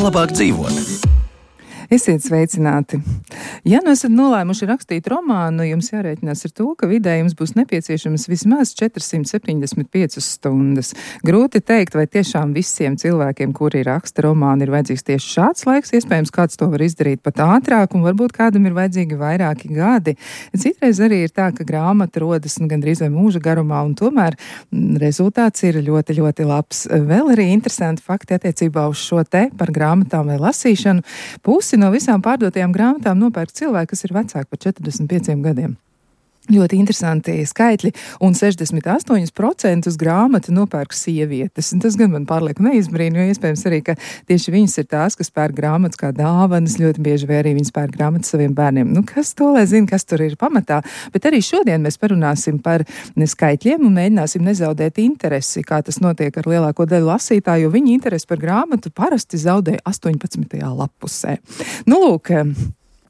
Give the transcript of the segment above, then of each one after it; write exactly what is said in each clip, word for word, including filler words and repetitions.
labāk dzīvot. Esiet sveicināti! Ja nu esat nolēmuši rakstīt romānu, jums jārēķinās ar to, ka vidē jums būs nepieciešamas vismaz četras simtas septiņdesmit piecas stundas. Grūti teikt, vai tiešām visiem cilvēkiem, kuri raksta romānu, ir vajadzīgs tieši šāds laiks. Iespējams, kāds to var izdarīt pat ātrāk, un varbūt kādam ir vajadzīgi vairāki gadi. Citreiz arī ir tā, ka grāmata rodas nu, gandrīz vai mūža garumā, un tomēr rezultāts ir ļoti, ļoti labs. Vēl arī interesanti fakti attiecībā uz šo te par grāmatām vai lasīšanu. Pusi no visām pārdotajām grāmatām nopērk cilvēki, kas ir vecāki par četrdesmit pieciem gadiem. Ļoti interesanti skaitļi, un sešdesmit astoņi procenti grāmatu nopērk sievietes. Un tas gan man pārlieku neizbrīna, jo iespējams arī, ka tieši viņas ir tās, kas pērk grāmatas kā dāvanas, ļoti bieži vai arī viņas pērk grāmatas saviem bērniem. Nu, kas to lai zina, kas tur ir pamatā? Bet arī šodien mēs parunāsim par skaitļiem un mēģināsim nezaudēt interesi, kā tas notiek ar lielāko daļu lasītāju, jo viņi interesi par grāmatu parasti zaudē astoņpadsmitajā lapusē. Nu, lūk,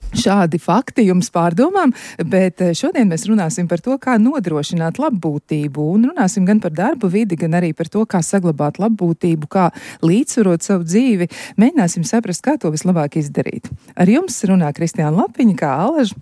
šādi fakti jums pārdomām, bet šodien mēs runāsim par to, kā nodrošināt labbūtību, un runāsim gan par darbu vidi, gan arī par to, kā saglabāt labbūtību, kā līdzsvarot savu dzīvi. Mēģināsim saprast, kā to vislabāk izdarīt. Ar jums runā Kristiāna Lapiņa, kā Alaža.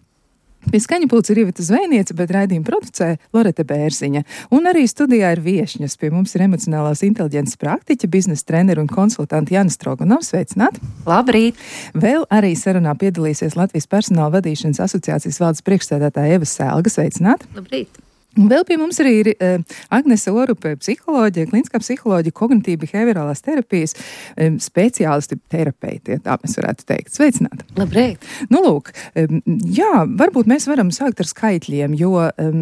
Pie skaņa pulca ir Iveta Zvejniece, bet raidījumu producē Loreta Bērziņa. Un arī studijā ir viešņas. Pie mums ir emocionālās inteliģences praktiķa, biznesa treneri un konsultanti Jāna Stroganova. Sveicināti! Labrīt! Vēl arī sarunā piedalīsies Latvijas personāla vadīšanas asociācijas valdes priekšsēdētāja Eva Sēlga. Sveicināti! Labrīt! Vēl pie mums arī ir uh, Agnese Orupe, psiholoģija, kliniskā psiholoģija, kognitīva behaviorālās terapijas um, speciālisti, terapeiti, tā mēs varētu teikt. Sveicināti! Labrīt! Nu, lūk, um, jā, varbūt mēs varam sākt ar skaitļiem, jo um,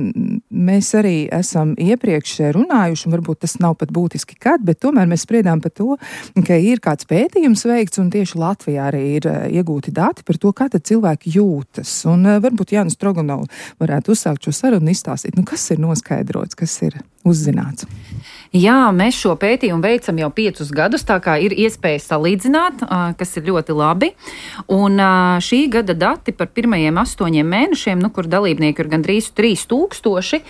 mēs arī esam iepriekš runājuši, un varbūt tas nav pat būtiski kad, bet tomēr mēs spriedām par to, ka ir kāds pētījums veikts, un tieši Latvijā arī ir uh, iegūti dati par to, kā tad cilvēki jūtas. Un uh, varbūt Jānis Stroganov varētu uzsākt šo sarunu izstāstīt. Nu, kas ir noskaidrots, kas ir uzzināts? Jā, mēs šo pētījumu veicam jau piecus gadus, tā kā ir iespēja salīdzināt, kas ir ļoti labi. Un šī gada dati par pirmajiem astoņiem mēnešiem, nu, kur dalībnieki ir gandrīz trīs tūkstoši,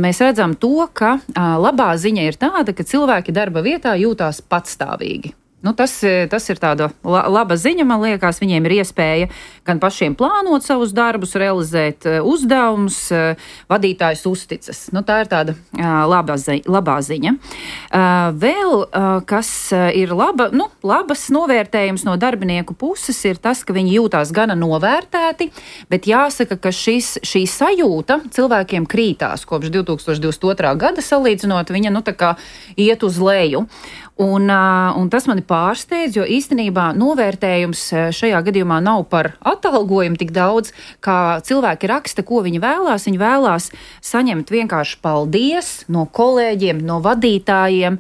mēs redzam to, ka labā ziņa ir tāda, ka cilvēki darba vietā jūtās patstāvīgi. Nu, tas, tas ir tāda laba ziņa, man liekas, viņiem ir iespēja gan pašiem plānot savus darbus, realizēt uzdevumus, vadītājs uzticas. Nu, tā ir tāda labā ziņa. Labā ziņa. Vēl, kas ir laba, nu, labas novērtējums no darbinieku puses, ir tas, ka viņi jūtās gana novērtēti, bet jāsaka, ka šis, šī sajūta cilvēkiem krītās kopš divi tūkstoši divdesmit otrā gada salīdzinot, viņa nu, tā kā iet uz leju. Un, un tas mani pārsteidz, jo īstenībā novērtējums šajā gadījumā nav par atalgojumu tik daudz, kā cilvēki raksta, ko viņi vēlās. Viņi vēlās saņemt vienkārši paldies no kolēģiem, no vadītājiem,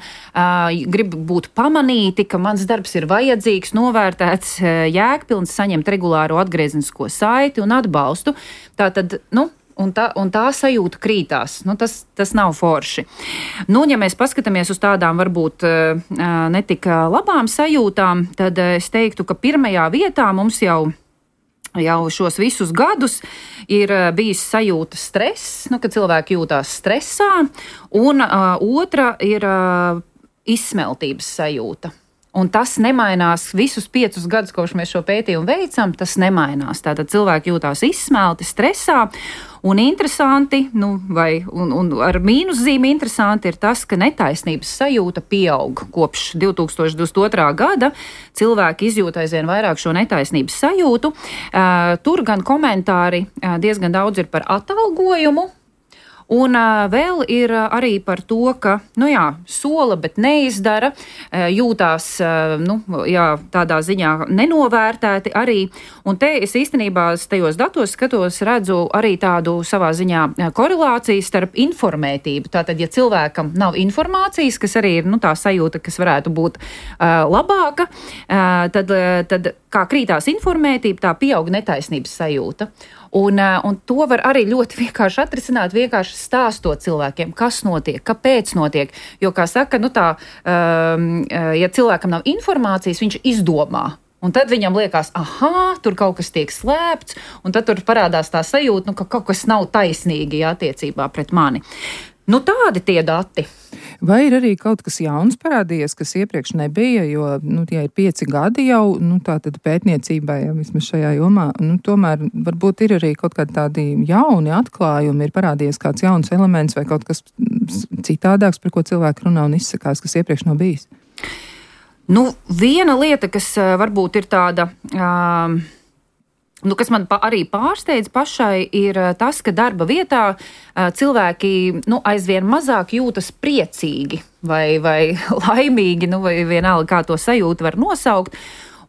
grib būt pamanīti, ka mans darbs ir vajadzīgs, novērtēts, jēgpilns, saņemt regulāro atgriezenisko saiti un atbalstu. Tātad, nu, Un tā, un tā sajūta krītās. Nu, tas, tas nav forši. Nu, ja mēs paskatāmies uz tādām varbūt netik labām sajūtām, tad es teiktu, ka pirmajā vietā mums jau, jau šos visus gadus ir bijis sajūta stress, nu, ka cilvēki jūtās stresā, un uh, otra ir uh, izsmeltības sajūta. Un tas nemainās visus piecus gadus, kopš mēs šo pētījumu veicam, tas nemainās. Tātad cilvēki jūtās izsmelti, stresā, un interesanti, nu, vai, un, un ar mīnuszīmi interesanti ir tas, ka netaisnības sajūta pieaug. Kopš divi tūkstoši divdesmit otrā gada cilvēki izjūt aizvien vairāk šo netaisnības sajūtu. Uh, tur gan komentāri uh, diezgan daudz ir par atalgojumu, Un uh, vēl ir uh, arī par to, ka, nu jā, sola, bet neizdara, uh, jūtās, uh, nu, jā, tādā ziņā nenovērtēti arī. Un te es īstenībā tajos datos skatos, redzu arī tādu savā ziņā korelāciju starp informētību. Tātad, ja cilvēkam nav informācijas, kas arī ir, nu, tā sajūta, kas varētu būt uh, labāka, uh, tad, uh, tad kā krītās informētība, tā pieaug netaisnības sajūta. Un, un to var arī ļoti vienkārši atrisināt, vienkārši stāstot cilvēkiem, kas notiek, kāpēc notiek. Jo, kā saka, nu tā, um, ja cilvēkam nav informācijas, viņš izdomā. Un tad viņam liekas, aha, tur kaut kas tiek slēpts, un tad tur parādās tā sajūta, nu, ka kaut kas nav taisnīgi attiecībā pret mani. Nu, tādi tie dati. Vai ir arī kaut kas jauns parādījies, kas iepriekš nebija, jo, nu, ja ir pieci gadi jau, nu, tā tad pētniecībai, ja vismaz šajā jomā, nu, tomēr varbūt ir arī kaut kādi tādi jauni atklājumi, ir parādījies kāds jauns elements vai kaut kas citādāks, par ko cilvēki runā un izsakās, kas iepriekš nav bijis? Nu, viena lieta, kas uh, varbūt ir tāda... Uh, Nu, kas man pa, arī pārsteidz pašai, ir tas, ka darba vietā uh, cilvēki nu, aizvien mazāk jūtas priecīgi vai, vai laimīgi, nu, vai vienalga, kā to sajūtu var nosaukt.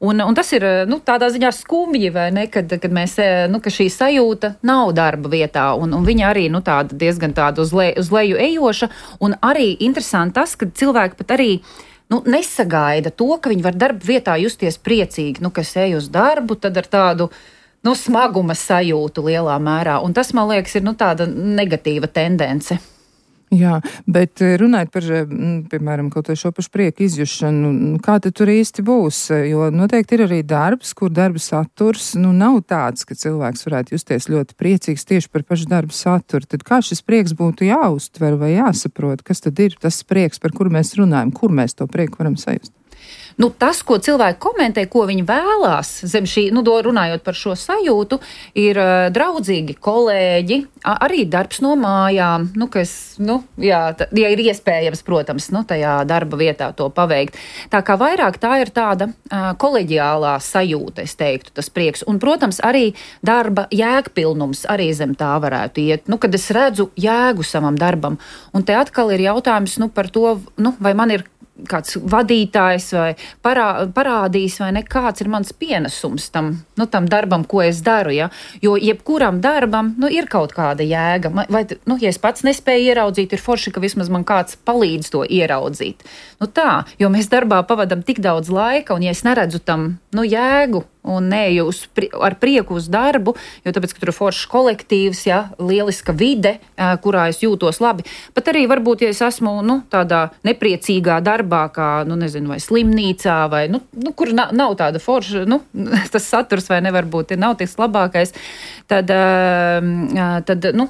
Un, un tas ir nu, tādā ziņā skumji, vai ne, kad, kad mēs, nu, ka šī sajūta nav darba vietā, un, un viņa arī nu, tāda diezgan tāda uz, le, uz leju ejoša, un arī interesanti tas, ka cilvēki pat arī nu, nesagaida to, ka viņi var darba vietā justies priecīgi, nu, kas ej uz darbu, tad ar tādu nu, smaguma sajūtu lielā mērā. Un tas, man liekas, ir nu, tāda negatīva tendence. Jā, bet runājot par, piemēram, kaut vai šo pašu prieku izjušanu, kā tad tur īsti būs? Jo noteikti ir arī darbs, kur darba saturs nu, nav tāds, ka cilvēks varētu justies ļoti priecīgs tieši par pašu darba saturu. Tad kā šis prieks būtu jāuztver vai jāsaprot? Kas tad ir tas prieks, par kuru mēs runājam? Kur mēs to prieku varam sajust? Nu, tas, ko cilvēki komentē, ko viņi vēlās, zem šī, nu, runājot par šo sajūtu, ir uh, draudzīgi kolēģi, arī darbs no mājām, nu, kas, nu, jā, tā, ja ir iespējams, protams, nu, tajā darba vietā to paveikt. Tā kā vairāk tā ir tāda uh, koleģiālā sajūta, es teiktu, tas prieks. Un, protams, arī darba jēgpilnums arī zem tā varētu iet, nu, kad es redzu jēgu savam darbam. Un te atkal ir jautājums, nu, par to, nu, vai man ir kāds vadītājs vai parā, parādīs, vai ne, kāds ir mans pienesums tam, nu, tam darbam, ko es daru, ja? Jo jebkuram darbam, nu, ir kaut kāda jēga. Vai, nu, ja es pats nespēju ieraudzīt, ir forši, ka vismaz man kāds palīdz to ieraudzīt. Nu tā, jo mēs darbā pavadam tik daudz laika, un ja es neredzu tam, nu, jēgu, un neeju uz, ar prieku uz darbu, jo tāpēc, ka tur ir foršs kolektīvs, ja, lieliska vide, kurā es jūtos labi. Pat arī varbūt, ja es esmu, nu, tādā nepriecīgā darbā, kā, nu, nezinu, vai slimnīcā, vai, nu, nu kur na, nav tāda forša, nu, tas saturs vai nevar būt, ir nav tas labākais, tad, tad, nu,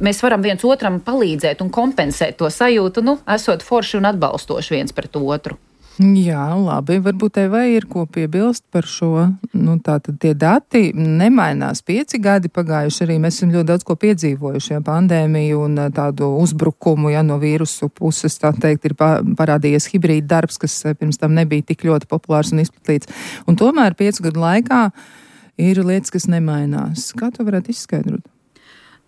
mēs varam viens otram palīdzēt un kompensēt to sajūtu, nu, esot forši un atbalstoši viens pret otru. Jā, labi, varbūt tev vai ir ko piebilst par šo, nu tātad tie dati nemainās pieci gadi pagājuši arī, mēs esam ļoti daudz ko piedzīvojuši, ja, pandēmiju un tādu uzbrukumu, ja, no vīrusu puses, tā teikt, ir parādījies hibrīda darbs, kas pirms tam nebija tik ļoti populārs un izplatīts, un tomēr piecu gadu laikā ir lietas, kas nemainās. Kā to varētu izskaidrot?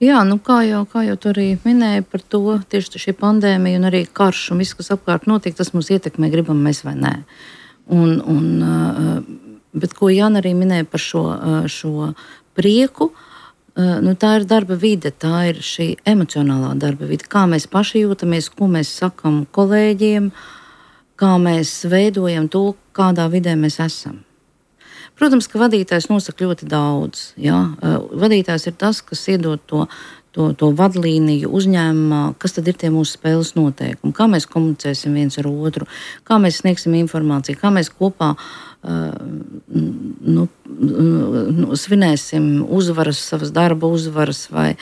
Jā, nu kā jau, kā jau tu arī minēji par to, tieši šī pandēmija un arī karš un viss, kas apkārt notiek, tas mūs ietekmē, gribam mēs vai nē. Un, un, bet ko Jāna arī minēja par šo, šo prieku, nu tā ir darba vide, tā ir šī emocionālā darba vide, kā mēs paši jūtamies, ko mēs sakam kolēģiem, kā mēs veidojam to, kādā vidē mēs esam. Protams, ka vadītājs nosaka ļoti daudz. Ja? Vadītājs ir tas, kas iedod to, to, to vadlīniju uzņēmumā, kas tad ir tie mūsu spēles noteikumi, kā mēs komunicēsim viens ar otru, kā mēs sniegsim informāciju, kā mēs kopā uh, nu, nu, svinēsim uzvaras, savas darba uzvaras vai,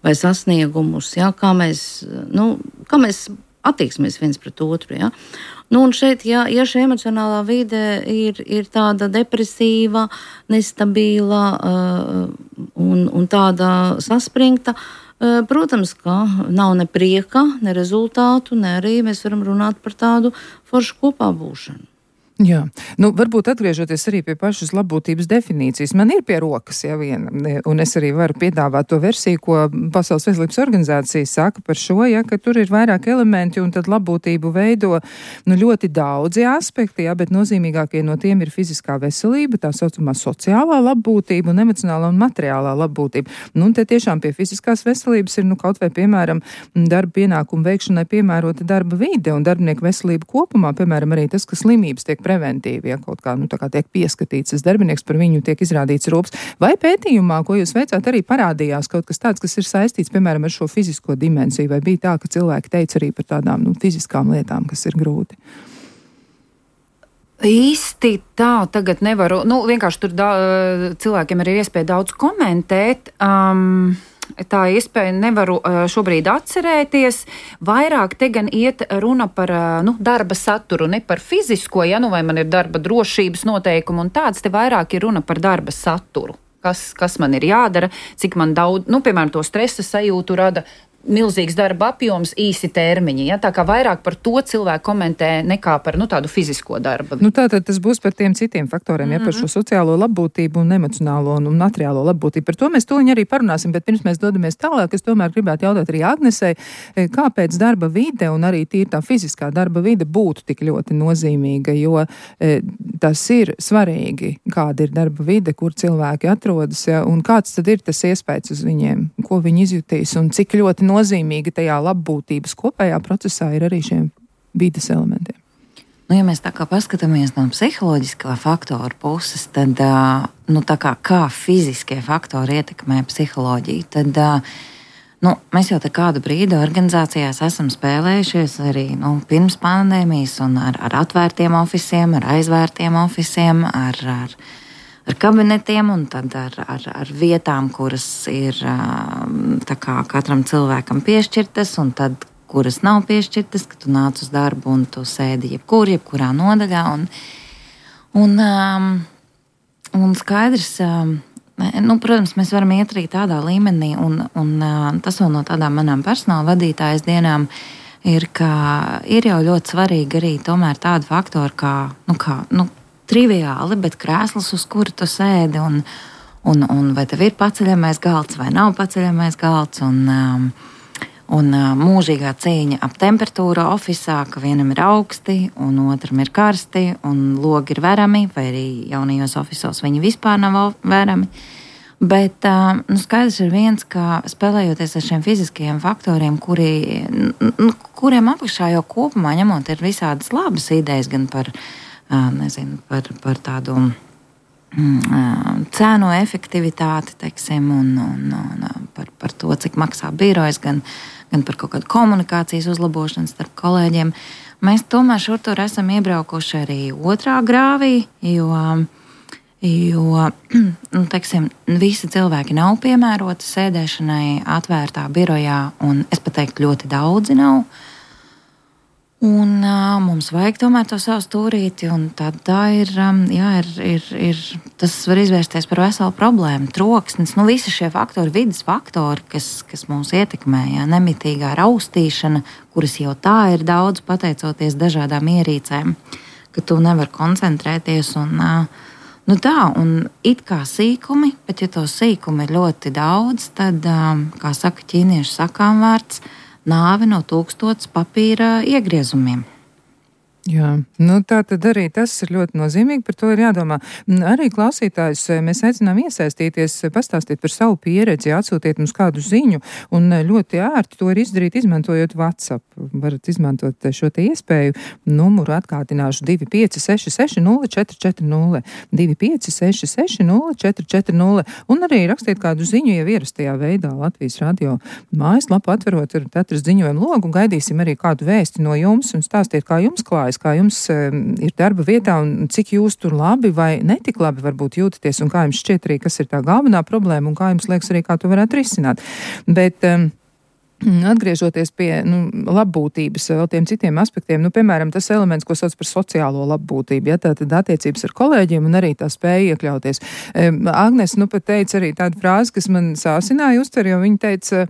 vai sasniegumus, ja? kā, mēs, nu, kā mēs attieksimies viens pret otru. Ja? Nu, un šeit, ja, ja šī emocionālā vide ir, ir tāda depresīva, nestabila uh, un, un tāda saspringta, uh, protams, ka nav ne prieka, ne rezultātu, ne arī mēs varam runāt par tādu foršu kopā būšanu. Jā, nu varbūt atgriežoties arī pie pašas labbūtības definīcijas, man ir pie rokas jau viena, un es arī varu piedāvāt to versiju, ko Pasaules veselības organizācija saka par šo, ja, ka tur ir vairāk elementi, un tad labbūtību veido nu, ļoti daudzi aspekti, ja, bet nozīmīgākie no tiem ir fiziskā veselība, tā saucamā sociālā labbūtība un emocionālā un materiālā labbūtība. Nu, un te tiešām pie fiziskās veselības ir nu, kaut vai, piemēram, darba pienākumu veikšanai piemērota darba vide un darbinieku veselība kopumā, piemēram, arī tas, ka slimības tiek preventīvi, ja kaut kā, nu, tā kā tiek pieskatīts tas darbinieks, par viņu tiek izrādīts rūps. Vai pētījumā, ko jūs veicāt, arī parādījās kaut kas tāds, kas ir saistīts, piemēram, ar šo fizisko dimensiju, vai bija tā, ka cilvēki teica arī par tādām, nu, fiziskām lietām, kas ir grūti? Īsti tā tagad nevaru, nu, vienkārši tur da, cilvēkiem arī ir iespēja daudz komentēt. Um, tā iespēja nevaru šobrīd atcerēties. Vairāk te gan iet runa par nu, darba saturu, ne par fizisko, ja nu vai man ir darba drošības noteikumi un tāds, te vairāk ir runa par darba saturu. Kas, kas man ir jādara, cik man daudz, nu, piemēram, to stresa sajūtu rada milzīgs darba apjoms, īsi termiņi. Ja? Tā kā vairāk par to cilvēku komentē nekā par nu, tādu fizisko darbu. Nu, tātad tas būs par tiem citiem faktoriem, mm-hmm. ja par šo sociālo labbūtību un emocionālo un materiālo labbūtību. Par to mēs tūliņ arī parunāsim, bet pirms mēs dodamies tālāk, es tomēr gribētu jautāt arī Agnesei, kāpēc darba vide un arī tīri tā fiziskā darba vide būtu tik ļoti nozīmīga, jo e, tas ir svarīgi, kāda ir darba vide, kur cilvēki atrodas, ja, un kāds tad ir tas iespējas uz viņiem, ko viņi izjutīs un cik ļoti nozīmīgi tajā labbūtības kopējā procesā ir arī šiem vides elementiem. Nu, ja mēs tā kā paskatāmies no psiholoģiskā faktora puses, tad, nu, tā kā, kā fiziskie faktori ietekmē psiholoģiju, tad, nu, mēs jau te kādu brīdi organizācijās esam spēlējušies arī, nu, pirms pandēmijas un ar, ar atvērtiem ofisiem, ar aizvērtiem ofisiem, ar, ar ar kabinetiem un tad ar, ar, ar vietām, kuras ir tā kā katram cilvēkam piešķirtas un tad, kuras nav piešķirtas, ka tu nāc uz darbu un tu sēdi jebkur, jebkurā nodaļā. Un, un, um, un skaidrs, um, nu, protams, mēs varam iet arī tādā līmenī un, un uh, tas vēl no tādām manām personāla vadītājas dienām ir, ka ir jau ļoti svarīgi arī tomēr tādu faktoru kā, nu, kā, nu, triviāli, bet krēsls, uz kuru tu sēdi, un, un, un vai tev ir paceļamais galds vai nav paceļamais galds, un, um, un uh, mūžīgā cīņa ap temperatūru ofisā, ka vienam ir augsti, un otram ir karsti, un logi ir verami, vai arī jaunajos ofisos viņi vispār nav verami. Bet uh, nu, skaidrs ir viens, ka spēlējoties ar šiem fiziskajiem faktoriem, kuri, nu, kuriem apakšā jau kopumā ņemot ir visādas labas idejas gan par nezinu, par, par tādu mm, cēnu efektivitāti, teiksim, un, un, un par, par to, cik maksā birojas, gan, gan par kaut kādu komunikācijas uzlabošanu starp kolēģiem. Mēs tomēr šur tur esam iebraukuši arī otrā grāvī, jo, jo nu, teiksim, visi cilvēki nav piemēroti sēdēšanai atvērtā birojā, un es pat teiktu, ļoti daudzi nav. Un uh, mums vajag tomēr to savu stūrīti, un tad tā ir, um, jā, ir, ir, ir, tas var izvērsties par veselu problēmu. Troksnis, nu visi šie faktori, vidas faktori, kas, kas mūs ietekmē, jā, nemitīgā raustīšana, kuras jau tā ir daudz pateicoties dažādām ierīcēm, ka tu nevar koncentrēties, un, uh, nu tā, un it kā sīkumi, bet ja to sīkumi ir ļoti daudz, tad, um, kā saka ķīniešu sakām vārds, nāve no tūkstotis papīra iegriezumiem. Jā, nu tā tad arī tas ir ļoti nozīmīgi, par to ir jādomā. Arī klausītājus mēs aicinām iesaistīties, pastāstīt par savu pieredzi, atsūtiet mums kādu ziņu, un ļoti ērti to ir izdarīt, izmantojot WhatsApp. Varat izmantot šo te iespēju, numuru atkārtināšu divi pieci seši seši nulle četri četri nulle, divi pieci seši seši nulle četri četri nulle, un arī rakstiet kādu ziņu jau ierastajā veidā Latvijas radio mājaslapu atverot, varat atrast ziņojumu logu, un gaidīsim arī kādu vēsti no jums, un stāstiet, kā jums klājas, kā jums uh, ir darba vietā un cik jūs tur labi vai netik labi varbūt jūtaties un kā jums šķiet arī, kas ir tā galvenā problēma un kā jums liekas arī, kā to varētu risināt. Bet um, atgriežoties pie nu, labbūtības vēl tiem citiem aspektiem, nu, piemēram, tas elements, ko sauc par sociālo labbūtību, ja, tātad attiecības ar kolēģiem un arī tā spēja iekļauties. Um, Agnes, nu, pat teica arī tādu frāzi, kas man sāsināja uztver, jo viņa teica,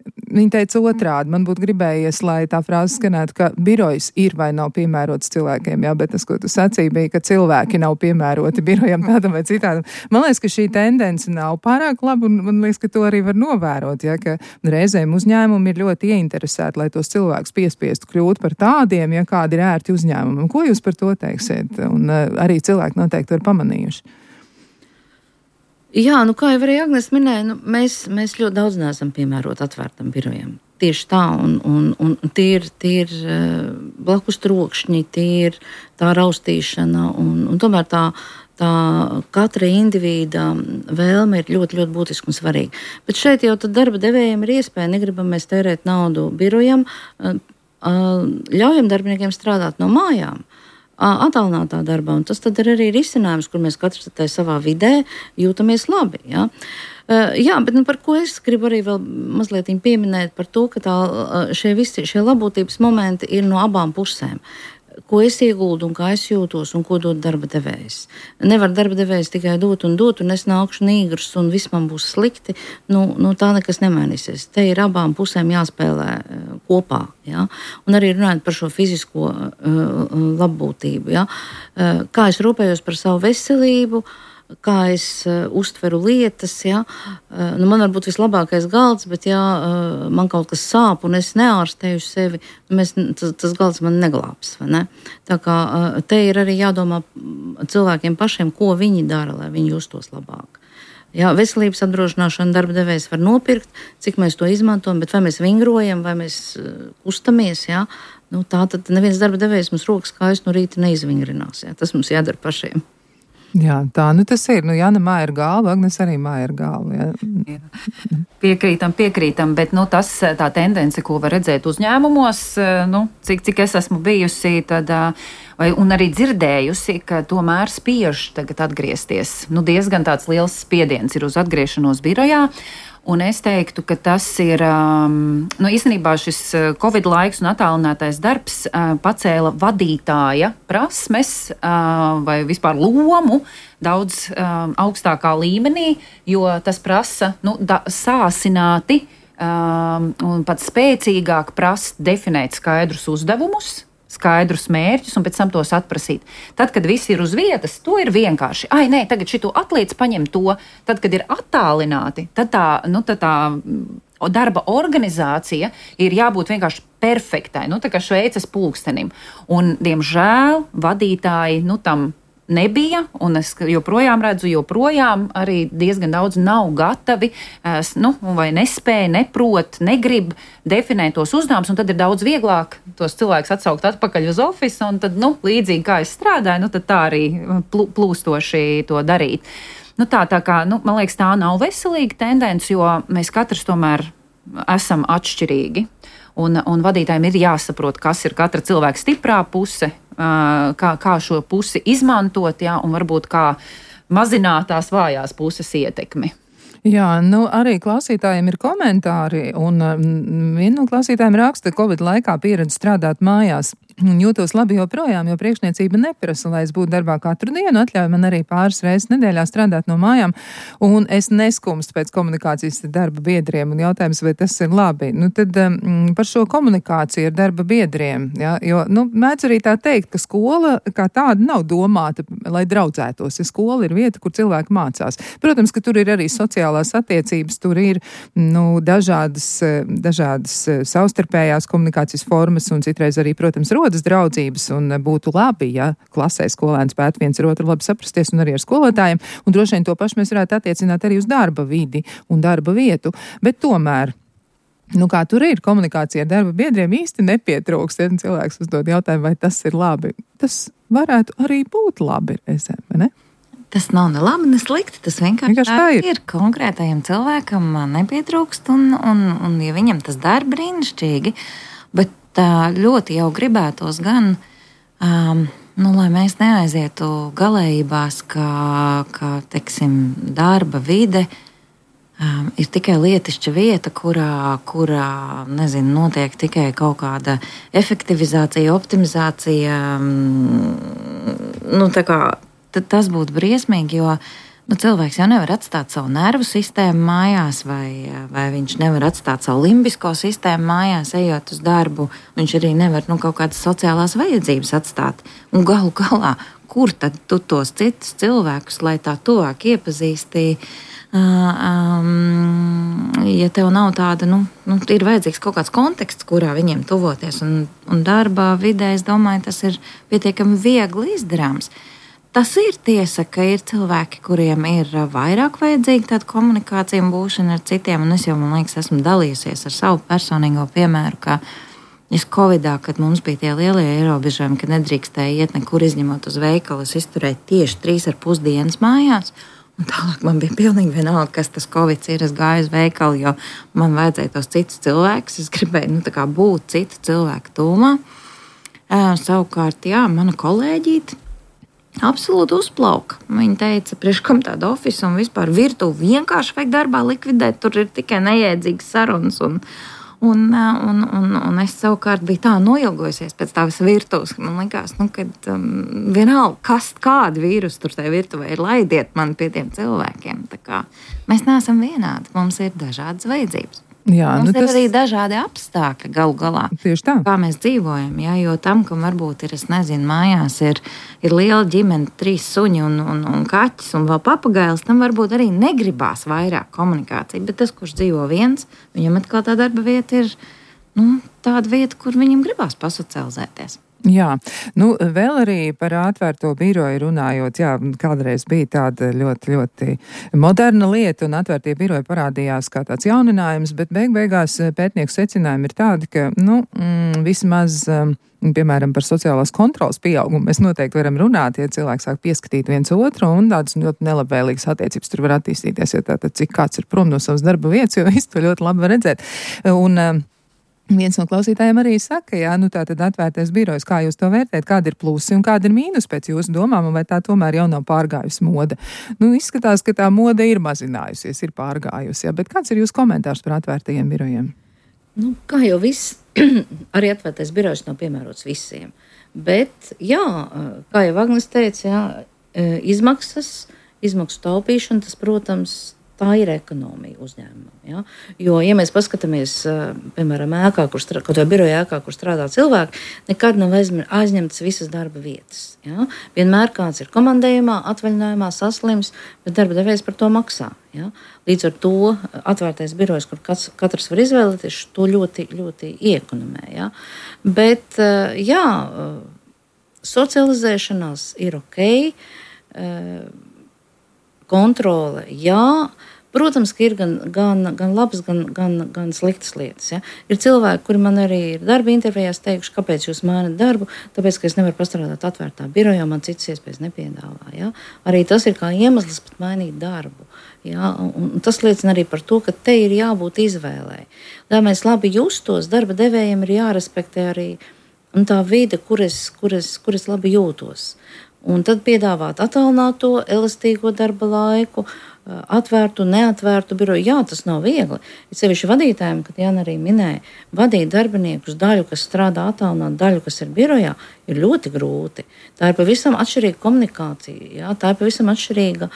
Viņa teica otrādi, man būtu gribējies, lai tā frāze skanētu, ka birojs ir vai nav piemērots cilvēkiem, jā, bet tas, ko tu sacīji, bija, ka cilvēki nav piemēroti birojam tādam vai citādam. Man liekas, ka šī tendence nav pārāk laba, un man liekas, ka to arī var novērot, jā, ka reizēm uzņēmumi ir ļoti ieinteresēti, lai tos cilvēkus piespiestu kļūt par tādiem, ja kādi ir ērti uzņēmumi. Ko jūs par to teiksiet? Un uh, arī cilvēki noteikti ir pamanījuši. Jā, nu kā jau arī Agnes minēja, nu, mēs, mēs ļoti daudz neesam piemēroti atvērtam birojam. Tieši tā, un, un, un tie ir, tie ir blakus trokšņi, tie ir tā raustīšana, un, un tomēr tā, tā katra indivīda vēlme ir ļoti, ļoti būtiska un svarīga. Bet šeit jau tad darba devējiem ir iespēja, negribam mēs tērēt naudu birojam, ļaujam darbiniekiem strādāt no mājām. attālinātā darbā. Un tas tad ir arī risinājums, kur mēs katrs tai savā vidē jūtamies labi. Ja? Uh, jā, bet nu, par ko es gribu arī vēl mazliet pieminēt par to, ka tā, šie visi šie labotības momenti ir no abām pusēm. Ko es ieguldu un kā es jūtos un ko dod darba devējs. Nevar darba devējs tikai dot un dot, un es nākšu nīgrs un viss man būs slikti. Nu, nu tā nekas nemainīsies. Te ir abām pusēm jāspēlē uh, kopā. Ja? Un arī runājot par šo fizisko uh, labbūtību. Ja? Uh, kā es rūpējos par savu veselību, kā es uh, uztveru lietas. Ja? Uh, nu man var būt vislabākais galds, bet ja uh, man kaut kas sāp un es neārstēju sevi, mēs, tas, tas galds man neglābs. Vai ne? Tā kā uh, te ir arī jādomā cilvēkiem pašiem, ko viņi dara, lai viņi justos labāk. Jā, veselības apdrošināšana darba devējs var nopirkt, cik mēs to izmantojam, bet vai mēs vingrojam, vai mēs uh, kustamies, jā? Nu, tā tad neviens darba devējs mums rokas kājas no rīta neizvingrinās. Jā? Tas mums jādara pašiem. Jā, tā nu tas ir. Nu, Jāna māja ir galva, Agnes arī māja ir galva. Jā. Jā. Piekrītam, piekrītam, bet nu, tas tā tendence, ko var redzēt uzņēmumos, nu, cik, cik es esmu bijusi, tad, vai, un arī dzirdējusi, ka tomēr spiež tagad atgriezties. Nu, diezgan tāds liels spiediens ir uz atgriešanos birojā. Un es teiktu, ka tas ir, um, nu, īstenībā šis Covid laiks un attālinātais darbs uh, pacēla vadītāja prasmes uh, vai vispār lomu daudz um, augstākā līmenī, jo tas prasa, nu, da, sāsināti um, un pat spēcīgāk prasa definēt skaidrus uzdevumus, skaidrus mērķus un pēc tam tos atprasīt. Tad, kad viss ir uz vietas, to ir vienkārši. Ai, nē, tagad šito atliec, paņem to. Tad, kad ir attālināti, tad tā, nu, tad tā darba organizācija ir jābūt vienkārši perfektai, nu, tā kā Šveices pulkstenim. Un, diemžēl, vadītāji, nu, tam nebija, un es joprojām redzu, joprojām arī diezgan daudz nav gatavi, nu, vai nespēja, neprot, negrib definēt tos uzdevumus, un tad ir daudz vieglāk tos cilvēkus atsaukt atpakaļ uz ofisu, un tad, nu, līdzīgi kā es strādāju, nu, tad tā arī plūstoši to darīt. Nu, tā, tā kā, nu, man liekas, tā nav veselīga tendence, jo mēs katrs tomēr esam atšķirīgi, un, un vadītājiem ir jāsaprot, kas ir katra cilvēka stiprā puse, Kā, kā šo pusi izmantot, jā, un varbūt kā mazināt tās vājās puses ietekmi. Jā, nu arī klausītājiem ir komentāri, un viena no klausītājiem raksta, ka Covid laikā pieredze strādāt mājās. Un jūtos labi joprojām, jo priekšniecība neprasa, lai es būtu darbā katru dienu, atļauj man arī pāris reizes nedēļā strādāt no mājām, un es neskumstu pēc komunikācijas ar darba biedriem, un jautājums, vai tas ir labi. Nu, tad um, par šo komunikāciju ar darba biedriem, ja, jo, nu, mēdz arī tā teikt, ka skola kā tāda nav domāta, lai draudzētos, ja skola ir vieta, kur cilvēki mācās. Protams, ka tur ir arī sociālās attiecības, tur ir, nu, dažādas, dažādas savstarpējās komunikācijas formas, un citreiz arī, protams, rodas draudzības, un būtu labi, ja klasē skolēni spētu viens ar otru labi saprasties un arī ar skolotājiem, un droši vien to pašu mēs varētu attiecināt arī uz darba vidi un darba vietu, bet tomēr, nu kā tur ir komunikācija ar darba biedriem īsti nepietrūkst, ja cilvēks uzdod jautājumu, vai tas ir labi. Tas varētu arī būt labi, reizēm, vai ne? Tas nav ne labi, ne slikti, tas vienkārši, vienkārši tā ir. ir. Konkrētajam cilvēkam nepietrūkst, un, un, un ja viņam tas dara brīnišķīgi, bet ļoti jau gribētos gan, um, nu, lai mēs neaizietu galējībās, ka, ka teiksim, darba vide um, ir tikai lietišķa vieta, kurā, kurā nezinu, notiek tikai kaut kāda efektivizācija, optimizācija. Um, nu, tā kā, tas būtu briesmīgi, jo nu, cilvēks jau nevar atstāt savu nervu sistēmu mājās, vai, vai viņš nevar atstāt savu limbisko sistēmu mājās, ejot uz darbu. Viņš arī nevar nu, kaut kādas sociālās vajadzības atstāt. Un galu galā, kur tad tu tos citus cilvēkus, lai tā tuvāk iepazīstī, um, ja tev nav tāda, nu, nu, ir vajadzīgs kaut kāds konteksts, kurā viņiem tuvoties. Un, un darba vidē, es domāju, tas ir pietiekami viegli izdarāms. Tas ir tiesa, ka ir cilvēki, kuriem ir vairāk vajadzīga tāda komunikācija un būšana ar citiem, un es jau, man liekas, esmu dalījusies ar savu personīgo piemēru, ka es Covidā, kad mums bija tie lielie ierobežojumi, ka nedrīkstēja iet nekur izņemot uz veikalu, es izturēju tieši trīs ar pus dienas mājās, un tālāk man bija pilnīgi vienalga, kas tas Covids ir, es gāju uz veikalu, jo man vajadzēja tos citus cilvēkus, es gribēju, nu, tā kā būt citu cilvēku tūmā. Savukārt, jā, mana kolēģīte absolūti uzplauka. Viņa teica, priekš kam tāda ofisu un vispār virtuvi vienkārši vajag darbā likvidēt, tur ir tikai nejēdzīgas sarunas. Un, un, un, un, un es savukārt biju tā noilgojusies pēc tā visa virtuves, ka man likās, nu, kad um, vienalga, kas, kāda vīrusu tur tajā virtuvē ir, laidiet man pie tiem cilvēkiem. Tā kā mēs neesam vienādi, mums ir dažādas vajadzības. Jā, mums nu, ir tas... arī dažādi apstākļi galu galā. Tieši tā. Kā mēs dzīvojam, jā, jo tam, kam varbūt ir, es nezinu, mājās ir, ir liela ģimene, trīs suņi un, un, un kaķis un vēl papagailis, tam varbūt arī negribās vairāk komunikāciju, bet tas, kurš dzīvo viens, viņam atkal tā darba vieta ir, nu, tāda vieta, kur viņam gribās pasocializēties. Jā, nu vēl arī par atvērto biroju runājot, jā, kādreiz bija tāda ļoti, ļoti moderna lieta un atvērtie biroji parādījās kā tāds jauninājums, bet beig beigās pētnieku secinājumi ir tādi, ka, nu, mm, vismaz, piemēram, par sociālās kontrolas pieaugumu mēs noteikti varam runāt, ja cilvēks sāk pieskatīt viens otru un tādas ļoti nelabvēlīgas attiecības tur var attīstīties, ja tātad cik kāds ir prom no savas darba vietas, jo visu to ļoti labi var redzēt. Un, viens no klausītājiem arī saka, jā, nu tā tad atvērtais birojs, kā jūs to vērtēt, kāda ir plusi un kāda ir mīnus pēc jūsu domām, un vai tā tomēr jau nav pārgājusi moda. Nu, izskatās, ka tā moda ir mazinājusies, ir pārgājusi, jā, bet kāds ir jūsu komentārs par atvērtajiem birojiem? Nu, kā jau viss, arī atvērtais birojs nav piemērots visiem, bet, jā, kā jau Agnes teica, jā, izmaksas, izmaksu taupīšana, tas, protams, tā ir ekonomija uzņēmumam. Ja? Jo, ja mēs paskatāmies, piemēram, ēkā, kur strādā, kaut vai biroja ēkā, kur strādā cilvēki, nekad nav aizņemtas visas darba vietas. Ja? Vienmēr kāds ir komandējumā, atvaļinājumā, saslims, bet darba devējs par to maksā. Ja? Līdz ar to atvērtais birojs, kur katrs, katrs var izvēlēties, to ļoti, ļoti iekonomē. Ja? Bet, jā, socializēšanās ir ok, kontrole, jā. Protams, ka ir gan, gan, gan labas, gan, gan, gan sliktas lietas. Ja? Ir cilvēki, kuri man arī ir darba intervijās teikuši, kāpēc jūs mainat darbu, tāpēc, ka es nevaru pastrādāt atvērtā birojā, man citas iespējas nepiedāvā. Ja? Arī tas ir kā iemesls pat mainīt darbu. Ja? Un, un tas liecina arī par to, ka te ir jābūt izvēlei. Lai mēs labi justos, darba devējiem ir jārespektē arī tā vide, kur es, kur es, kur es labi jūtos. Un tad piedāvāt attālināto, elastīgo darba laiku, atvērtu, neatvērtu biroju. Jā, tas nav viegli. Ir sevišķi vadītājiem, kad Jāna arī minēja, vadīt darbiniekus daļu, kas strādā attālināt, daļu, kas ir birojā, ir ļoti grūti. Tā ir pavisam atšķirīga komunikācija, jā? Tā ir pavisam atšķirīga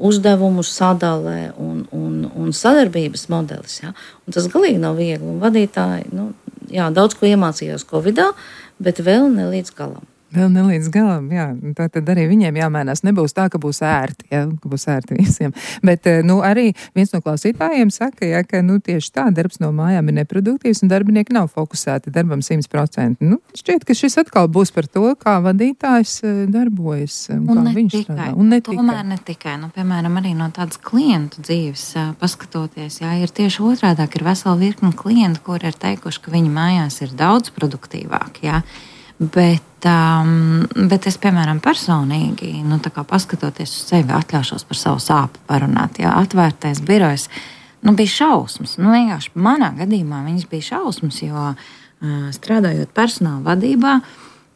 uzdevumu sadalē un, un, un sadarbības modelis. Jā? Un tas galīgi nav viegli. Un vadītāji, nu, jā, daudz ko iemācījās Covidā, bet vēl ne līdz galam. Vēl ne līdz galam, jā. Tā tad arī viņiem jāmēnās. Nebūs tā, ka būs ērti, jā, ka būs ērti visiem. Bet, nu, arī viens no klausītājiem saka, jā, ka, nu, tieši tā, darbs no mājām ir neproduktīvs un darbinieki nav fokusēti darbam simt procenti. Nu, šķiet, ka šis atkal būs par to, kā vadītājs darbojas, un kā viņš tikai, strādā. Un ne tikai. Tomēr ne tikai. Nu, piemēram, arī no tādas klientu dzīves paskatoties, jā, ir tieši otrādāk, ir vesela virkni klientu, kuri ir teikuši, ka viņi mājās ir daudz produktīvāk, jā. Bet, um, bet es, piemēram, personīgi, nu, tā kā paskatoties uz sevi, atļaušos par savu sāpu parunāt. Jā, atvērtais birojs, nu, bija šausmas. Nu, vienkārši manā gadījumā viņas bija šausmas, jo uh, strādājot personāla vadībā,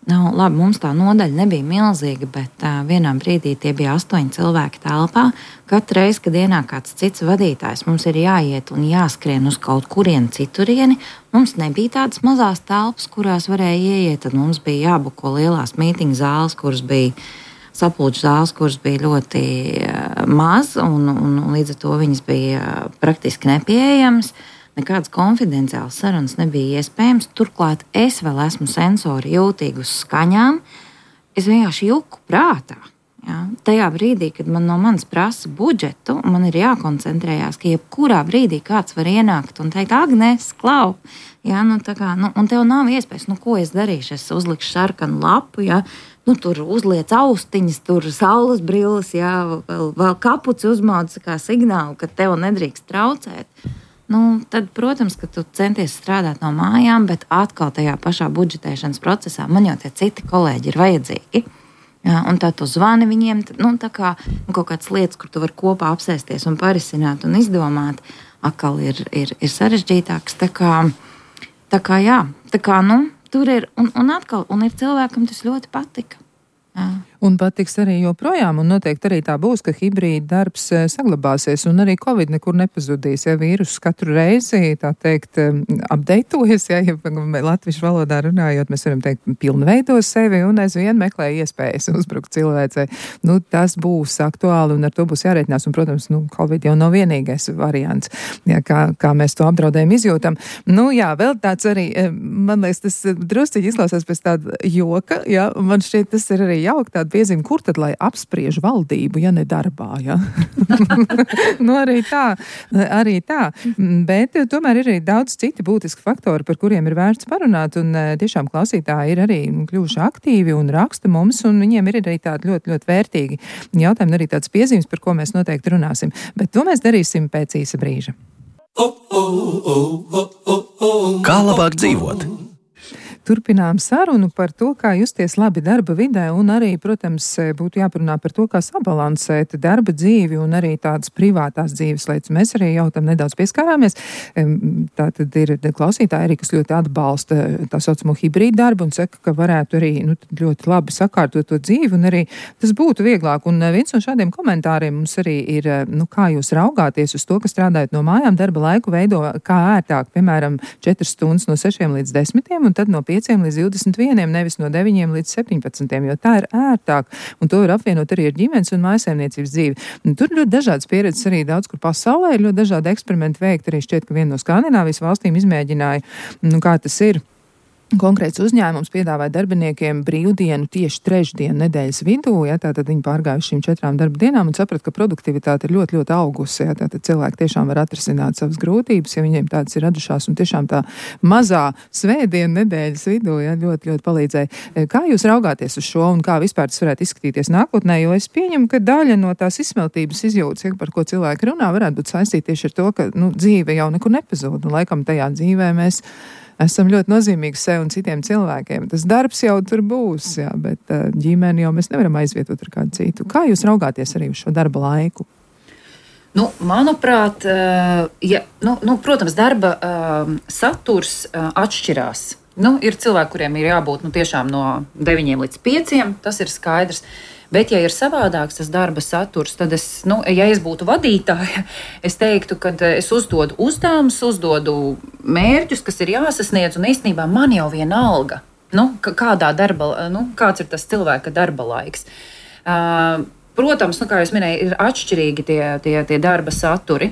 nu, labi, mums tā nodaļa nebija milzīga, bet uh, vienā brīdī tie bija astoņi cilvēki telpā. Katru reizi, kad ienāk kāds cits vadītājs, mums ir jāiet un jāskrien uz kaut kurieni citurieni. Mums nebija tādas mazās telpas, kurās varēja ieiet, tad mums bija jābuko lielās mītiņu zāles, kuras bija sapulču zāles, kuras bija ļoti uh, maz, un, un, un līdz ar to viņas bija uh, praktiski nepieejamas. Nekādas konfidenciālas sarunas nebija iespējams. Turklāt es vēl esmu sensori jūtīgi uz skaņām. Es vienkārši juku prātā. Ja? Tajā brīdī, kad man no manis prasa budžetu, man ir jākoncentrējās, ka jebkurā brīdī kāds var ienākt un teikt, Agnes, klau, ja? Nu, tā kā, nu, un tev nav iespējas, nu, ko es darīšu, es uzlikšu sarkanu lapu, ja? Nu, tur uzliec austiņas, tur saules brilles, ja? vēl, vēl kapuci uzmauc kā signālu, ka tev nedrīkst traucēt. Nu, tad, protams, ka tu centies strādāt no mājām, bet atkal tajā pašā budžetēšanas procesā man jau tie citi kolēģi ir vajadzīgi. Jā, un tā tu zvani viņiem, nu, tā kā nu, kaut kādas lietas, kur tu vari kopā apsēsties un parisināt un izdomāt, atkal ir, ir, ir sarežģītāks. Tā kā, tā kā, jā, tā kā, nu, tur ir, un, un atkal, un ir cilvēkam tas ļoti patika. Jā. Un patiks arī joprojām, un noteikti arī tā būs, ka hibrīda darbs saglabāsies, un arī Covid nekur nepazudīs, ja vīrus katru reizi, tā teikt, updatējas, ja, ja latviešu valodā runājot, mēs varam teikt, pilnveido sevi un aizvien meklē iespējas uzbrukt cilvēcei. Nu, tas būs aktuāli, un ar to būs jārēķinās, un, protams, nu, Covid jau nav vienīgais variants, ja, kā, kā mēs to apdraudējumu izjūtam. Nu, jā, vēl tāds arī, man liekas, tas drusciņi izklausās pēc tāda joka, ja, man šķiet, tas ir arī jauki tāda piezīme, kur tad, lai apspriež valdību, ja ne darbā, ja? Nu, arī tā, arī tā. Bet tomēr ir arī daudz citi būtiski faktori, par kuriem ir vērts parunāt, un tiešām klausītāji ir arī kļuvuši aktīvi un raksta mums, un viņiem ir arī tādi ļoti, ļoti vērtīgi jautājumi, arī tāds piezīmes, par ko mēs noteikti runāsim. Bet to mēs darīsim pēc īsa brīža. Kā labāk dzīvot? Turpinām sarunu par to, kā justies labi darba vidē, un arī, protams, būtu jāparunā par to, kā sabalansēt darba dzīvi un arī tādas privātās dzīves lietas. Mēs arī jau tam nedaudz pieskārāmies. Tā tad ir klausītāji arī, kas ļoti atbalsta tā saucamo hibrīdu darbu un saka, ka varētu arī nu, ļoti labi sakārtot to dzīvi un arī tas būtu vieglāk. Un viens no šādiem komentāriem mums arī ir, nu, kā jūs raugāties uz to, ka strādājot no mājām darba laiku veido kā ērtāk, piemēram, četras stundas no sešiem līdz desmitiem un tad no pieciem līdz divdesmit vieniem, nevis no deviņiem līdz septiņpadsmitiem, jo tā ir ērtāk, un to var apvienot arī ar ģimenes un mājsaimniecības dzīvi. Un tur ļoti dažādas pieredzes arī daudz, kur pasaulē ir ļoti dažādi eksperimenti veikt, arī šķiet, ka viena no Skandināvijas valstīm izmēģināja, nu, kā tas ir. Konkrēts uzņēmums piedāvāja darbiniekiem brīvdienu tieši trešdienu nedēļas vidū, ja, tātad viņi pārgājuši šīm četrām darba dienām un saprat, ka produktivitāte ir ļoti, ļoti augusi, ja, tātad cilvēki tiešām var atrisināt savas grūtības, ja viņiem tādas ir radušās, un tiešām tā mazā svētdienu nedēļas vidū, ja, ļoti, ļoti palīdzēja. Kā jūs raugāties uz šo un kā vispār tas varētu izskatīties nākotnē, jo es pieņemu, ka daļa no tās izsmeltības izjūtas, ja, par ko cilvēki runā, varētu būt saistīta tieši ar to, ka, nu, dzīve jau nekur nepazūd, un laikam tajā dzīvē mēs esam ļoti nozīmīgi sev un citiem cilvēkiem. Tas darbs jau tur būs, jā, bet ģimeni jau mēs nevaram aizvietot ar kādu citu. Kā jūs raugāties arī uz šo darba laiku? Nu, manuprāt, ja, nu, nu, protams, darba um, saturs uh, atšķirās. Nu, ir cilvēki, kuriem ir jābūt nu, tiešām no deviņiem līdz pieciem, tas ir skaidrs. Bet, ja ir savādāks tas darba saturs, tad es, nu, ja es būtu vadītāja, es teiktu, ka es uzdodu uzdevumus, uzdodu mērķus, kas ir jāsasniedz, un īstenībā man jau vienalga, nu, kādā darba, nu, kāds ir tas cilvēka darba laiks. Uh, protams, nu, kā jūs minēju, ir atšķirīgi tie, tie, tie darba saturi,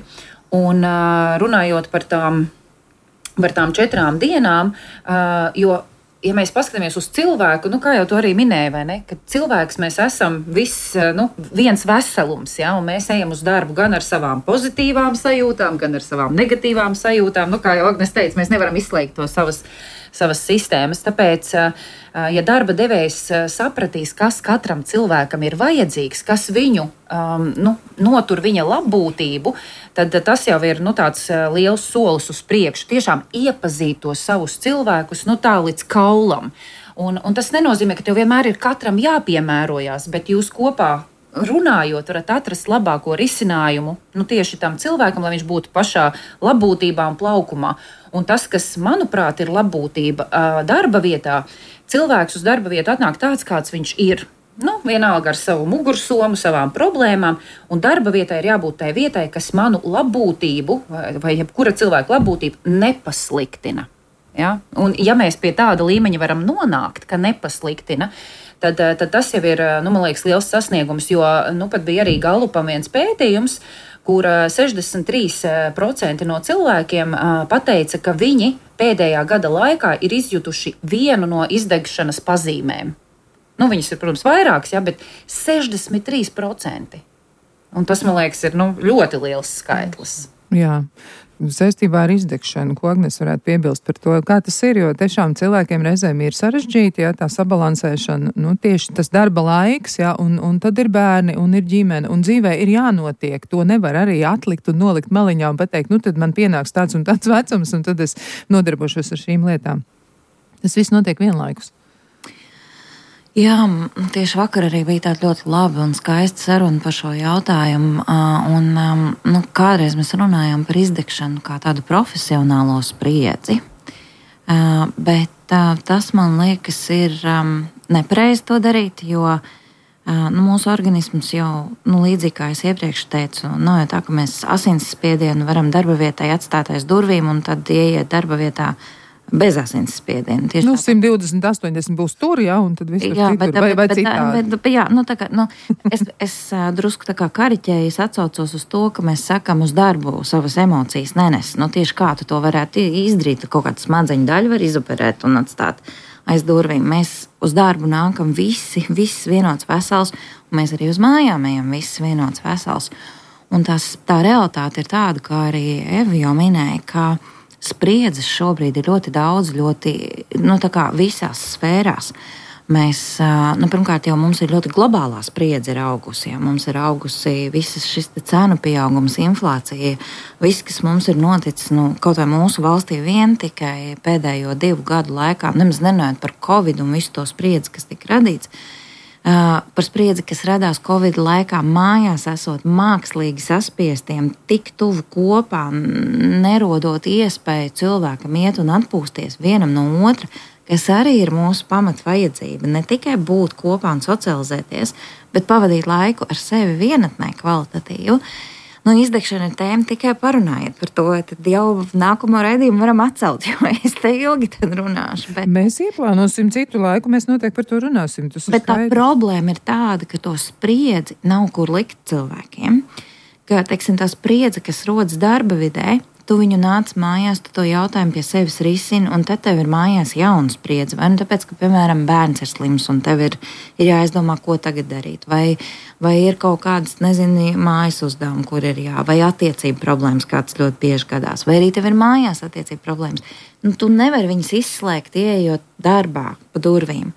un uh, runājot par tām, par tām četrām dienām, uh, jo ja mēs paskatāmies uz cilvēku, nu, kā jau to arī minēja, vai ne, ka cilvēks mēs esam viss, nu, viens veselums, ja, un mēs ejam uz darbu gan ar savām pozitīvām sajūtām, gan ar savām negatīvām sajūtām. Nu, kā jau Agnes teica, mēs nevaram izslēgt to savas, savas sistēmas. Tāpēc, ja darba devējs sapratīs, kas katram cilvēkam ir vajadzīgs, kas viņu um, nu, notur viņa labbūtību, tad tas jau ir nu, tāds liels solis uz priekšu. Tiešām iepazīt tos savus cilvēkus nu, tā līdz kaulam. Un, un tas nenozīmē, ka tev vienmēr ir katram jāpiemērojās, bet jūs kopā runājot, varat atrast labāko risinājumu nu, tieši tam cilvēkam, lai viņš būtu pašā labbūtībā un plaukumā. Un tas, kas, manuprāt, ir labbūtība darba vietā, cilvēks uz darba vietu atnāk tāds, kāds viņš ir. Nu, vienalga ar savu mugursomu, savām problēmām, un darba vietai ir jābūt tai vietai, kas manu labbūtību vai, vai jebkura cilvēka labbūtību nepasliktina. Ja? Un ja mēs pie tāda līmeņa varam nonākt, ka nepasliktina, tad, tad tas jau ir, nu, man liekas, liels sasniegums, jo nu, pat bija arī Galupam viens pētījums, kur sešdesmit trīs procenti no cilvēkiem pateica, ka viņi pēdējā gada laikā ir izjutuši vienu no izdegšanas pazīmēm. Nu, viņas ir, protams, vairākas, ja, bet sešdesmit trīs procenti. Un tas, man liekas, ir nu, ļoti liels skaitlis. Jā. Saistībā ar izdegšanu, ko Agnes varētu piebilst par to, kā tas ir, jo tiešām cilvēkiem reizēm ir sarežģīti, ja, tā sabalansēšana, nu, tieši tas darba laiks, ja, un, un tad ir bērni, un ir ģimene, un dzīvē ir jānotiek, to nevar arī atlikt un nolikt maliņā un pateikt, nu, tad man pienāks tāds un tāds vecums, un tad es nodarbošos ar šīm lietām. Tas viss notiek vienlaikus. Jā, tieši vakar arī bija tāda ļoti laba un skaista saruna par šo jautājumu. Un, nu, kādreiz mēs runājām par izdegšanu kā tādu profesionālo spriedzi, bet tā, tas, man liekas, ir um, nepareizi to darīt, jo uh, nu, mūsu organisms jau, nu, līdzīgi kā es iepriekš teicu, nav jau tā, ka mēs asinsspiedienu varam darba vietai atstāt aiz durvīm un tad ieiet darba vietā bez asinsspiediena. Tieši nu, tā, simt divdesmit, astoņdesmit būs tur, jā, un tad viss tur jā, citur, bet, vai, vai bet, citādi. bet, bet, jā, nu, tā kā, nu, es, es drusku tā kā kariķēju, es atsaucos uz to, ka mēs sakam uz darbu savas emocijas nenes. Nu, tieši kā tu to varētu izdarīt, kaut kādu smadzeņu daļu var izoperēt un atstāt aiz durvīm. Mēs uz darbu nākam visi, viss vienots vesels, un mēs arī uz mājām ejam viss vienots vesels. Un tās, tā realitāte ir tāda, kā arī Eva jau minēja, ka spriedzes šobrīd ir ļoti daudz, ļoti, nu, tā kā visās sfērās. Mēs, nu, pirmkārt, jau mums ir ļoti globālā spriedze ir augusi. Ja? Mums ir augusi visas šis cenu pieaugums, inflācija, viss, kas mums ir noticis, nu, kaut vai mūsu valstī vien tikai pēdējo divu gadu laikā, nemaz nenojot par Covid un visu to spriedzi, kas tika radīts, Uh, par spriedzi, kas radās Covid laikā, mājās esot mākslīgi saspiestiem, tik tuvu kopā, nerodot iespēju cilvēkam iet un atpūsties vienam no otra, kas arī ir mūsu pamatvajadzība. Ne tikai būt kopā un socializēties, bet pavadīt laiku ar sevi vienatnē kvalitatīvu. Nu, izdegšana ir tēma, tikai parunājiet par to, tad jau nākamo raidījumu varam atcelt, jo es te ilgi tad runāšu. Bet... Mēs ieplānosim citu laiku, mēs noteikti par to runāsim. Bet tā problēma ir tāda, ka to spriedzi nav kur likt cilvēkiem. Ka, teiksim, tā spriedze, kas rodas darba vidē, tu viņu nāc mājās, tu to jautājumu pie sevis risini, un tad tev ir mājās jauna spriedze. Vai nu tāpēc, ka, piemēram, bērns ir slims, un tev ir, ir jāizdomā, ko tagad darīt. Vai, vai ir kaut kādas, nezinu, mājas uzdevumi, kur ir jā, vai attiecību problēmas, kāds ļoti bieži gadās. Vai arī tev ir mājās attiecību problēmas. Nu, tu nevari viņas izslēgt, ieejot darbā pa durvīm.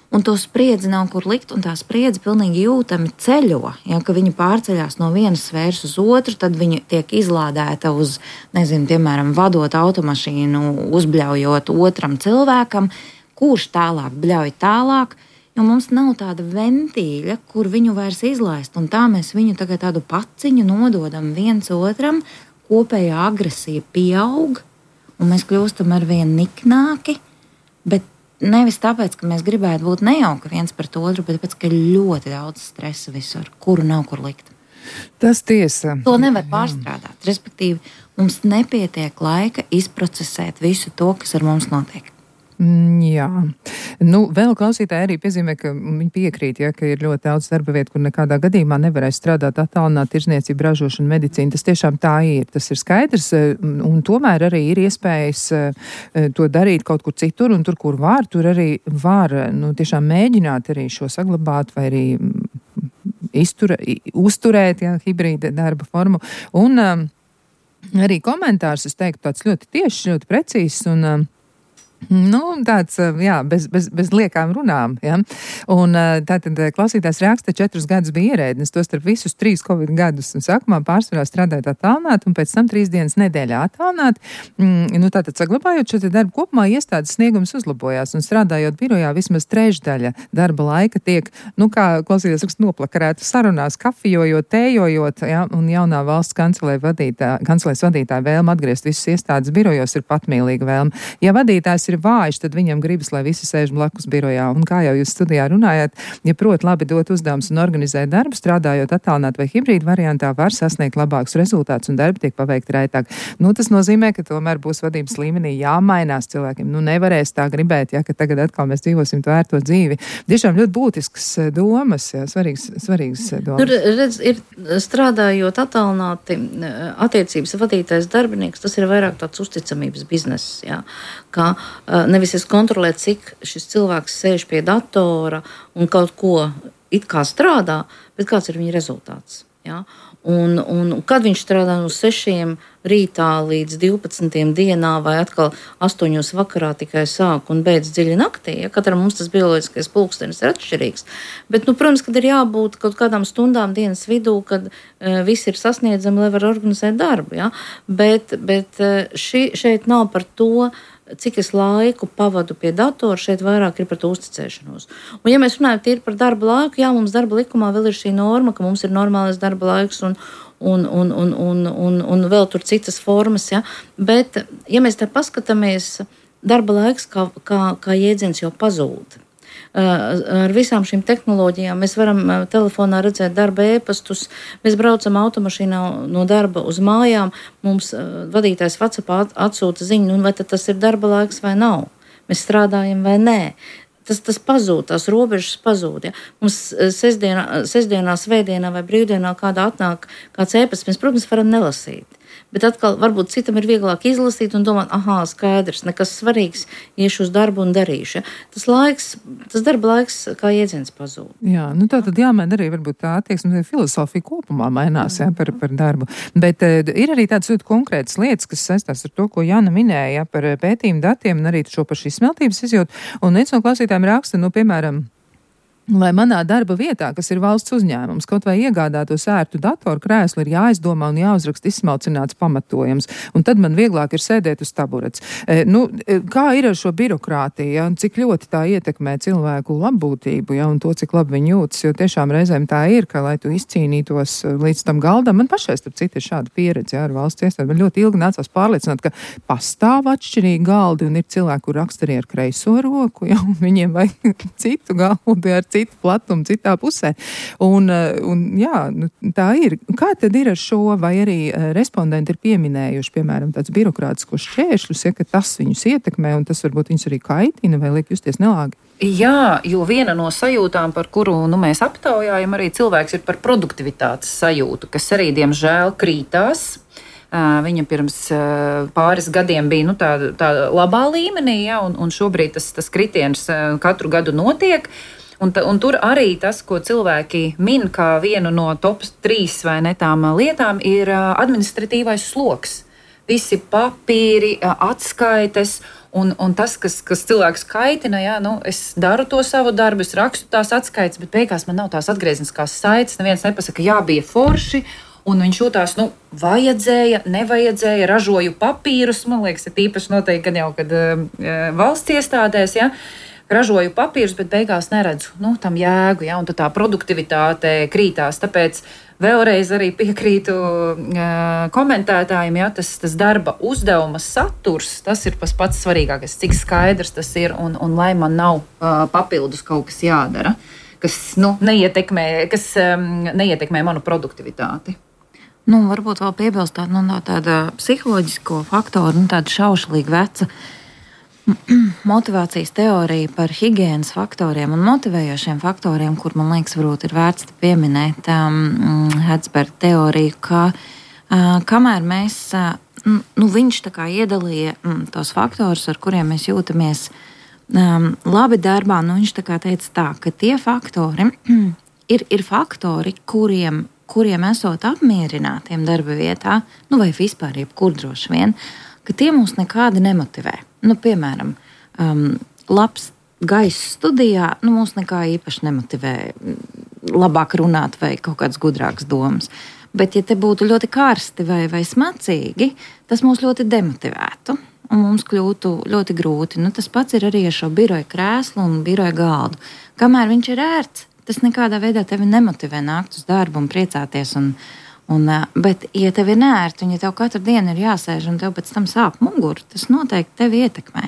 Un to spriedzi nav kur likt, un tā spriedzi pilnīgi jūtami ceļo. Ja, ka viņi pārceļās no vienas sfēras uz otru, tad viņi tiek izlādēta uz, nezinu, piemēram, vadot automašīnu, uzbļaujot otram cilvēkam, kurš tālāk bļauj tālāk, jo mums nav tāda ventīļa, kur viņu vairs izlaist, un tā mēs viņu tagad tādu paciņu nododam viens otram, kopējā agresija pieaug, un mēs kļūstam arvien niknāki, bet nevis tāpēc, ka mēs gribētu būt nejauki viens pret otru, bet tāpēc, ka ir ļoti daudz stresa visur, kuru nav kur likt. Tas tiesa. To nevar pārstrādāt. Respektīvi, mums nepietiek laika izprocesēt visu to, kas ar mums notiek. Jā. Nu, vēl klausītāji arī piezīmē, ka viņi piekrīt, ja, ka ir ļoti daudz darba vietu, kur nekādā gadījumā nevarēs strādāt attālināt tirzniecību, ražošanu, medicīnu. Tas tiešām tā ir, tas ir skaidrs, un tomēr arī ir iespējas to darīt kaut kur citur, un tur, kur var, tur arī var, nu, tiešām mēģināt arī šo saglabāt vai arī iztura, uzturēt, ja, hibrīda darba formu. Un um, arī komentārs, es teiktu, tāds ļoti tieši, ļoti precīzs, un um, nu, tāds, jā, bez, bez, bez liekām runām, ja. Un tātad klausītājs raksta, četrus gadus bija ierēdnis, to starp visus trīs Covid gadus, un sākumā pārsvarā strādājot attālināt, un pēc tam trīs dienas nedēļā attālināt. Mm, nu, tātad saglabājot šo te darbu kopumā, iestādes sniegums uzlabojās, un strādājot birojā vismaz trešdaļa darba laika tiek, nu, kā klausītājs raksta, noplakarēta sarunās, kafijojot, tējojot, ja, un jaunā valsts kancelē vadītā, kancelēs vadītāja vēlme atgriezt visas iestādes birojos ir patmīlīga vēlme. Ja vadītājs ir vājš, tad viņam gribas, lai visi sēž blakus birojā. Un kā jau jūs studijā runājāt, ja prot labi dot uzdevums un organizēt darbu, strādājot attālināt vai hibrīdu variantā, var sasniegt labākus rezultātus un darbi tiek paveikti raitāk. Nu, tas nozīmē, ka tomēr būs vadības līmenī jāmainās cilvēkiem. Nu, nevarēs tā gribēt, ja, ka tagad atkal mēs dzīvosim to ērto dzīvi. Tiešām ļoti būtisks domas, jā, svarīgs, svarīgs domas. Tur, redz, ir strādājot attālināti attiecības vadītājs darbinieks, tas ir vairāk tāds uzticamības bizness, jā, kā nevis es kontrolēt, cik šis cilvēks sēž pie datora un kaut ko it kā strādā, bet kāds ir viņa rezultāts. Ja? Un, un kad viņš strādā no sešiem rītā līdz divpadsmitiem dienā vai atkal astoņos vakarā tikai sāk un beidz dziļi naktī, ja? Katram mums tas bioloģiskais pulkstenis ir atšķirīgs. Bet, nu, protams, kad ir jābūt kaut kādām stundām dienas vidū, kad uh, viss ir sasniedzami, lai var organizēt darbu. Ja? Bet, bet uh, ši, šeit nav par to, cik es laiku pavadu pie datora, šeit vairāk ir par to uzticēšanos. Un ja mēs runājam tīri par darba laiku, jā, mums darba likumā vēl ir šī norma, ka mums ir normālais darba laiks un, un, un, un, un, un, un vēl tur citas formas, ja. Bet, ja mēs tā paskatāmies darba laiks kā, kā, kā jēdziens jau pazūd. Ar visām šīm tehnoloģijām mēs varam telefonā redzēt darba ēpastus, mēs braucam automašīnā no darba uz mājām, mums vadītājs WhatsAppā atsūta ziņu, nu, vai tas ir darba laiks vai nav, mēs strādājam vai nē. Tas, tas pazūd, tās robežas pazūd. Ja? Mums sestdienā, sestdienā, svētdienā vai brīvdienā kādā atnāk kāds ēpasts, mēs, protams, varam nelasīt. Bet atkal, varbūt citam ir vieglāk izlasīt un domāt, aha, skaidrs, nekas svarīgs, iešu uz darbu un darīšu. Ja? Tas laiks, tas darba laiks kā jēdziens pazūd. Jā, nu tā tad jāmaina arī varbūt tā attieksme, filozofija kopumā mainās, jā, par, par darbu. Bet uh, ir arī tādas ļoti konkrētas lietas, kas saistās ar to, ko Jana minēja, ja, par pētījumu datiem un arī šo pašu izsmeltības izjūtu. Un viens no klausītājiem raksta, nu, piemēram, lai manā darba vietā, kas ir valsts uzņēmums, kaut vai iegādātos ērtu datoru krēslu, ir jāizdomā un jāuzraksta izsmalcināts pamatojums, un tad man vieglāk ir sēdēt uz taburets. E, nu, kā ir ar šo birokrātiju, ja, un cik ļoti tā ietekmē cilvēku labbūtību, ja, un to, cik labi viņi jūtas, jo tiešām reizēm tā ir, ka, lai tu izcīnītos līdz tam galdam, man pašai, starp citu, ir šāda pieredze, ja, ar valsts iestādi. Man ļoti ilgi nācās pārliecināt, ka pastāv atšķirīgi galdi, un ir cilvēki, kur raksta arī ar kreiso roku, ja, un viņiem vajag citu galdu ar citu citu platumu, citā pusē. Un, un jā, nu, tā ir. Kā tad ir ar šo, vai arī respondenti ir pieminējuši, piemēram, tāds birokrātiskos šķēršļus, ja, ka tas viņus ietekmē, un tas varbūt viņus arī kaitina, vai liek justies nelāgi? Jā, jo viena no sajūtām, par kuru nu, mēs aptaujājam, arī cilvēks ir par produktivitātes sajūtu, kas arī, diemžēl, krītās. Viņa pirms pāris gadiem bija nu, tā, tā labā līmenī, ja, un, un šobrīd tas, tas kritiens katru gadu notiek. Un, ta, un tur arī tas, ko cilvēki min kā vienu no top trīs vai ne tām lietām, ir administratīvais sloks. Visi papīri, atskaites un, un tas, kas, kas cilvēks kaitina, jā, nu, es daru to savu darbu, es rakstu tās atskaites, bet beigās man nav tās atgriezniskās saites, neviens nepasaka, jā, bija forši, un viņš jūtās, nu, vajadzēja, nevajadzēja, ražoju papīrus, man liekas, ir īpaši noteikti, kad jau, kad uh, valsts iestādēs, jā, ražoju papīrus, bet beigās neredzu nu, tam jēgu, ja, un tā produktivitāte krītās. Tāpēc vēlreiz arī piekrītu uh, komentētājiem, ja, tas, tas darba uzdevuma saturs, tas ir pats pats svarīgākais, cik skaidrs tas ir, un, un lai man nav uh, papildus kaut kas jādara, kas, nu, neietekmē, kas um, neietekmē manu produktivitāti. Nu, varbūt vēl piebilstot nu, no tāda psiholoģisko faktoru, nu, tāda šaušalīgi veca motivācijas teorija par higienas faktoriem un motivējošiem faktoriem, kur, man liekas, varbūt ir vērts pieminēt um, Herzberga teoriju, ka uh, kamēr mēs, uh, nu, viņš tā kā iedalīja um, tos faktorus, ar kuriem mēs jūtamies um, labi darbā, nu, viņš tā kā teica tā, ka tie faktori ir, ir faktori, kuriem, kuriem esot apmierinātiem darba vietā, nu, vai vispār jebkur droši vien, ka tie mūs nekādi nemotivē. Nu, piemēram, um, labs gaiss studijā, nu, mūs nekā īpaši nemotivē labāk runāt vai kaut kādas gudrākas domas. Bet, ja te būtu ļoti karsti vai, vai smacīgi, tas mūs ļoti demotivētu un mums kļūtu ļoti grūti. Nu, tas pats ir arī ar šo biroja krēslu un biroja galdu. Kamēr viņš ir ērts, tas nekādā veidā tevi nemotivē nākt uz darbu un priecāties un Un, bet, ja tev ir nērti un ja tev katru dienu ir jāsēž un tev pēc tam sāp muguru, tas noteikti tevi ietekmē.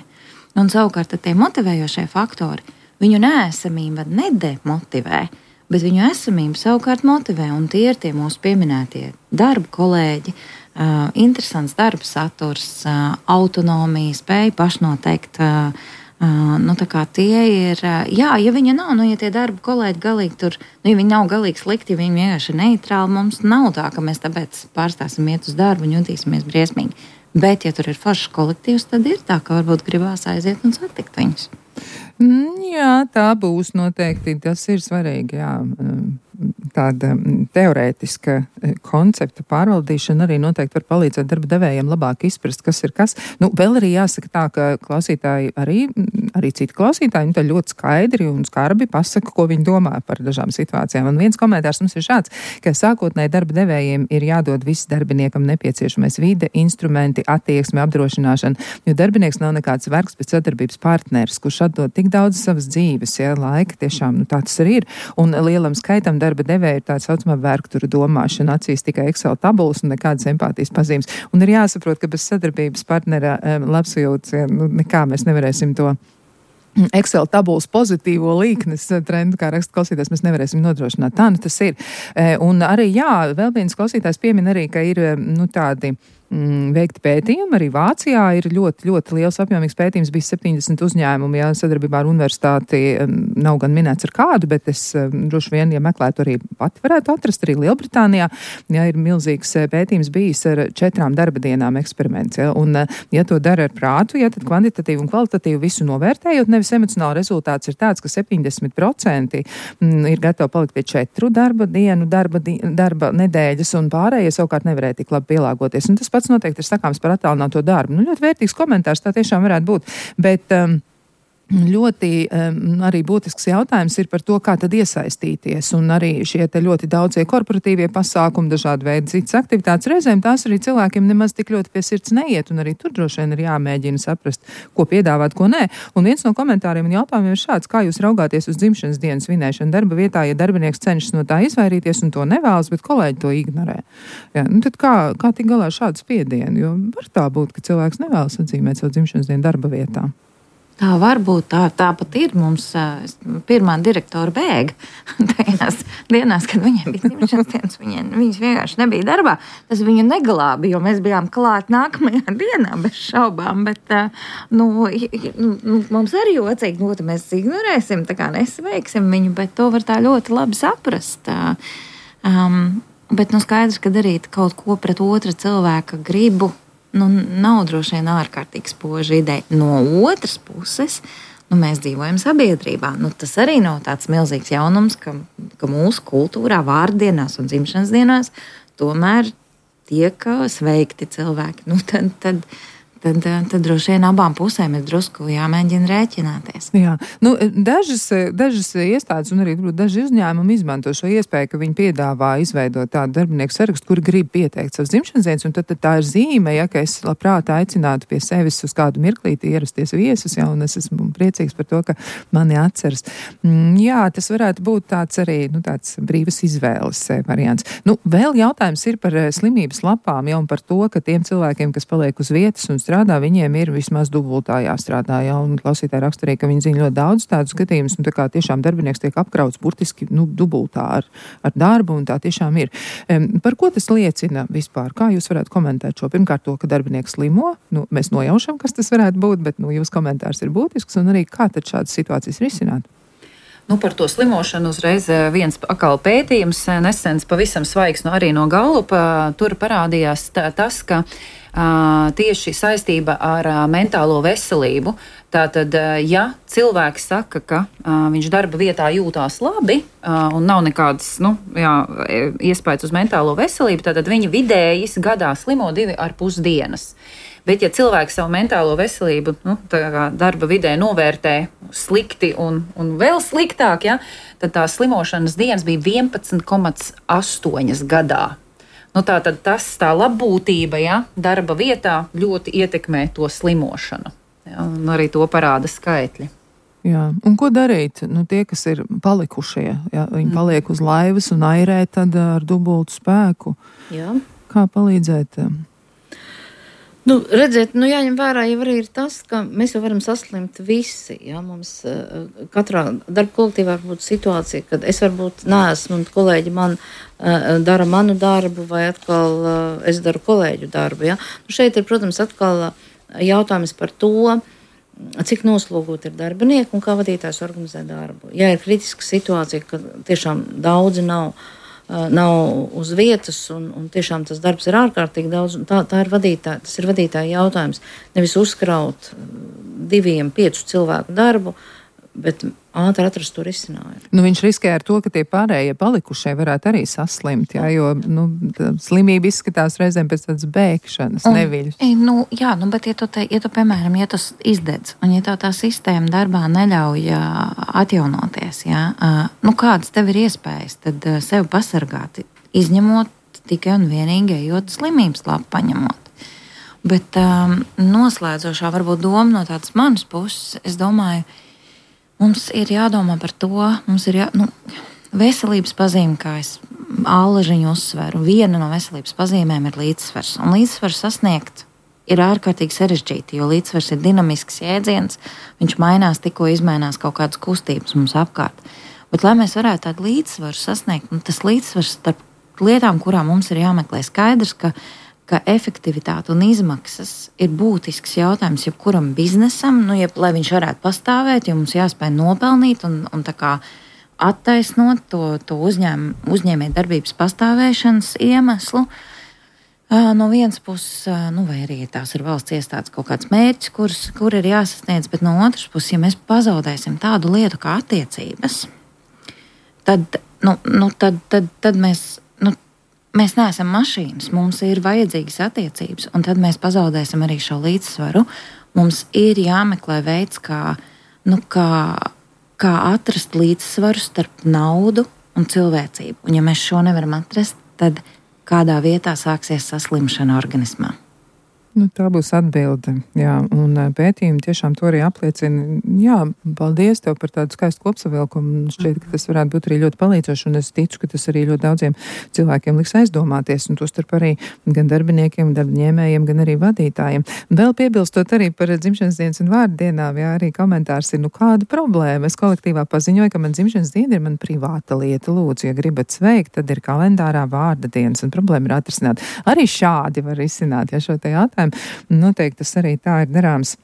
Un savukārt tie motivējošie faktori, viņu neesamība nedemotivē, bet viņu esamība savukārt motivē. Un tie ir tie mūsu pieminētie darba kolēģi, uh, interesants darba saturs, uh, autonomija, spēja pašnoteikt. Uh, Uh, nu, tā kā tie ir, uh, jā, ja viņa nav, nu, ja tie darba kolēģi galīgi tur, nu, ja viņi nav galīgi slikti, ja viņi vienkārši ir neitrāli, mums nav tā, ka mēs tāpēc pārstāsim iet uz darbu un jutīsimies briesmīgi. Bet, ja tur ir foršs kolektīvs, tad ir tā, ka varbūt gribās aiziet un satikt viņus. Mm, jā, tā būs noteikti, tas ir svarīgi, jā. Tāda teorētiska koncepta pārvaldīšana arī noteikti var palīdzēt darba devējiem labāk izprast, kas ir kas. Nu, vēl arī jāsaka tā, ka klausītāji arī, arī citi klausītāji, nu, tā ļoti skaidri un skarbi pasaka, ko viņi domā par dažām situācijām. Un viens komentārs mums ir šāds, ka sākotnēji darba devējiem ir jādod viss darbiniekam nepieciešamais vide, instrumenti, attieksme, apdrošināšana, jo darbinieks nav nekāds vergs, bet sadarbības partneris, kurš atdod tik daudz savas dzīves, ja, laika tiešām, nu, tā tas arī ir. Un lielam skaitam darba darba devēja ir tā saucamā vergturu domāšana, acīs tikai Excel tabulas un nekādas empātijas pazīmes. Un ir jāsaprot, ka bez sadarbības partnera um, labsajūtas, nu, nekā mēs nevarēsim to Excel tabulas pozitīvo līknes trendu, kā raksta klausītājs, mēs nevarēsim nodrošināt. Tā nu tas ir. Un arī, jā, vēl viens klausītājs piemin arī, ka ir, nu, tādi mm, veikti pētījumi. Arī Vācijā ir ļoti, ļoti liels apjomīgs pētījums, bija septiņdesmit uzņēmumi, jā, sadarbībā ar universitāti, nav gan minēts ar kādu, bet es droši vien, ja meklētu, arī pati varētu atrast, arī Lielbritānijā, jā, ir milzīgs pētījums bijis ar četrām darba dienām eksperiments, jā, un, ja to dara ar prātu, jā, tad kvantitatīvi un kvalitatīvi visu novērtējot, nevis emocionāli rezultāts ir tāds, ka septiņdesmit procenti ir gatavi palikt pie četru darba dienu, darba, di darba nedēļas, un pārējie savukārt nevarēja tik labi pielāgoties. Un tas pats noteikti ir sakāms par attālināto darbu. Nu, ļoti vērtīgs komentārs, tā tiešām varētu būt. Bet um, ļoti um, arī būtisks jautājums ir par to, kā tad iesaistīties. Un arī šie te ļoti daudzie korporatīvie pasākumi, dažādi veidi citas aktivitātes, reizēm tās arī cilvēkiem nemaz tik ļoti pie sirds neiet, un arī tur droši vien ir jāmēģina saprast, ko piedāvāt, ko nē. Un viens no komentāriem un jautājumiem ir šāds: kā jūs raugāties uz dzimšanas dienas svinēšanu darba vietā, ja darbinieks cenšas no tā izvairīties un to nevēlas, bet kolēģi to ignorē? Jā, nu tad kā, kā tik galā šādu spiedienu? Jo var tā būt, ka cilvēks nevēlas atzīmēt savu dzimšanas dienu darba vietā. Tā var būt, tā, tā pat ir. Mums uh, pirmā direktora bēga tajās dienās, kad viņiem bija dzimšanas dienas, viņiem, viņas vienkārši nebija darbā. Tas viņu neglābi, jo mēs bijām klāt nākamajā dienā bez šaubām, bet uh, nu, nu, mums arī jocīgi, nu, mēs ignorēsim, tā kā nesveiksim viņu, bet to var tā ļoti labi saprast. Uh, um, bet nu skaidrs, ka darīt kaut ko pret otra cilvēka gribu, nu, nav droši vien ārkārtīgi spoža ideja. No otras puses, nu, mēs dzīvojam sabiedrībā. Nu, tas arī nav tāds milzīgs jaunums, ka, ka mūsu kultūrā vārdienās un dzimšanas dienās tomēr tiek sveikti cilvēki. Nu, tad, tad, tad, tad droši vien abām pusēm ir drusku jāmēģina rēķināties. Jā, nu, dažas, dažas iestādes un arī daži uzņēmumi izmanto šo iespēju, ka viņi piedāvā izveidot tādu darbinieku sarakstu, kuri grib pieteikt savas dzimšanas dienas, un tad, tad tā ir zīme, ja, ka es labprāt aicinātu pie sevis uz kādu mirklīti ierasties viesus, ja, un es esmu priecīgs par to, ka mani atceras. Jā, tas varētu būt tāds arī, nu, tāds brīvas izvēles variants. Nu, vēl jautājums ir par slimības lapām, ja, un par to, ka tiem cilvēkiem, kas paliek uz vietas un strādā, viņiem ir vismaz dubultā jāstrādā, jā, un klausītāji raksturī, ka viņi zina ļoti daudz tādus gadījumus, un tā kā tiešām darbinieks tiek apkrauts burtiski, nu, dubultā ar, ar darbu, un tā tiešām ir. Um, par ko tas liecina vispār? Kā jūs varētu komentēt šo? Pirmkārt to, ka darbinieks slimo, nu, mēs nojaušam, kas tas varētu būt, bet, nu, jūs komentārs ir būtisks, un arī kā tad šādas situācijas risināt? Nu, par to slimošanu uzreiz viens akal pētījums, nesens pavisam svaigs, no arī no Gallupa, tur parādījās tā, tas, ka uh, tieši saistība ar uh, mentālo veselību. Tātad, uh, ja cilvēks saka, ka uh, viņš darba vietā jūtās labi uh, un nav nekādas, nu, jā, iespējas uz mentālo veselību, tātad viņi vidējis gadā slimo divi ar pus dienas. Bet, ja cilvēks savu mentālo veselību, nu, darba vidē novērtē slikti un, un vēl sliktāk, ja, tad tās slimošanas dienas bija vienpadsmit komats astoņi gadā. Nu, tā tad tas, tā labbūtība, ja, darba vietā ļoti ietekmē to slimošanu. Ja, un arī to parāda skaitļi. Jā, un ko darīt? Nu, tie, kas ir palikušie, ja, viņi paliek uz laivas un airē tad ar dubultu spēku. Jā. Kā palīdzēt? Nu, redziet, nu jāņem vērā jau arī ir tas, ka mēs jau varam saslimt visi. Ja? Mums uh, katrā darba kolektīvā var būt situācija, kad es varbūt neesmu un kolēģi man uh, dara manu darbu vai atkal uh, es daru kolēģu darbu. Ja? Nu, šeit ir, protams, atkal jautājums par to, cik noslogot ir darbinieki un kā vadītājs organizē darbu. Ja ir kritiska situācija, ka tiešām daudzi nav nav uz vietas, un, un tiešām tas darbs ir ārkārtīgi daudz, tā, tā ir vadītāja, tas ir vadītāja jautājums. Nevis uzkraut diviem, piecu cilvēku darbu, bet ātri atrast to risinājumu. Nu, viņš riskē ar to, ka tie pārējie palikušie varētu arī saslimt, jā, jo nu, slimība izskatās reizēm pēc tādas bēgšanas, un, neviļas. Nu, jā, nu, bet ja tu, te, ja tu, piemēram, ja tu izdedz, un ja tev tā sistēma darbā neļauj atjaunoties, jā, nu, kādas tev ir iespējas, tad sevi pasargāt, izņemot tikai un vienīgi ejot slimības lapu paņemot. Bet um, noslēdzošā varbūt doma no tādas manas puses, es domāju, mums ir jādomā par to, mums ir jā, nu, veselības pazīme, kā es allažiņu uzsveru, viena no veselības pazīmēm ir līdzsvars. Un līdzsvaru sasniegt ir ārkārtīgi sarežģīti, jo līdzsvars ir dinamisks jēdziens, viņš mainās, tikko izmainās kaut kādas kustības mums apkārt. Bet, lai mēs varētu tādu līdzsvaru sasniegt, nu, tas līdzsvars starp lietām, kurām mums ir jāmeklē, skaidrs, ka ka efektivitāte un izmaksas ir būtisks jautājums jebkuram biznesam, nu, jeb, lai viņš varētu pastāvēt, jo mums jāspēj nopelnīt un, un tā kā attaisnot to, to uzņēm, uzņēmē darbības pastāvēšanas iemeslu. No vienas puses, nu, vai arī tās ir valsts iestādes kaut kāds mērķis, kurus, kur ir jāsasniedz, bet no otras puses, ja mēs pazaudēsim tādu lietu kā attiecības, tad, nu, nu, tad, tad, tad mēs Mēs neesam mašīnas, mums ir vajadzīgas attiecības, un tad mēs pazaudēsim arī šo līdzsvaru. Mums ir jāmeklē veids, kā, nu, kā, kā atrast līdzsvaru starp naudu un cilvēcību. Un ja mēs šo nevaram atrast, tad kādā vietā sāksies saslimšana organismā. Nu, tā būs atbilde, jā, un pētījumi tiešām to arī apliecina. Jā, paldies tev par tādu skaistu kopsavilkumu. Šķiet, ka tas varētu būt arī ļoti palīdzoši, un es ticu, ka tas arī ļoti daudziem cilvēkiem liks aizdomāties, un tostarp arī gan darbiniekiem, darbņēmējiem, gan arī vadītājiem. Vēl piebilstot arī par dzimšanas dienas un vārdu dienām, jā, arī komentārs ir, nu kāda problēma. Es kolektīvā paziņoju, ka man dzimšanas diena ir man privāta lieta. Lūdzu, ja gribat sveikt, tad ir kalendārā vārda dienas, un problēma ir atrisināt. Arī šādi var izsināt, ja šo te jautājumu. Noteikti tas arī tā ir darāms.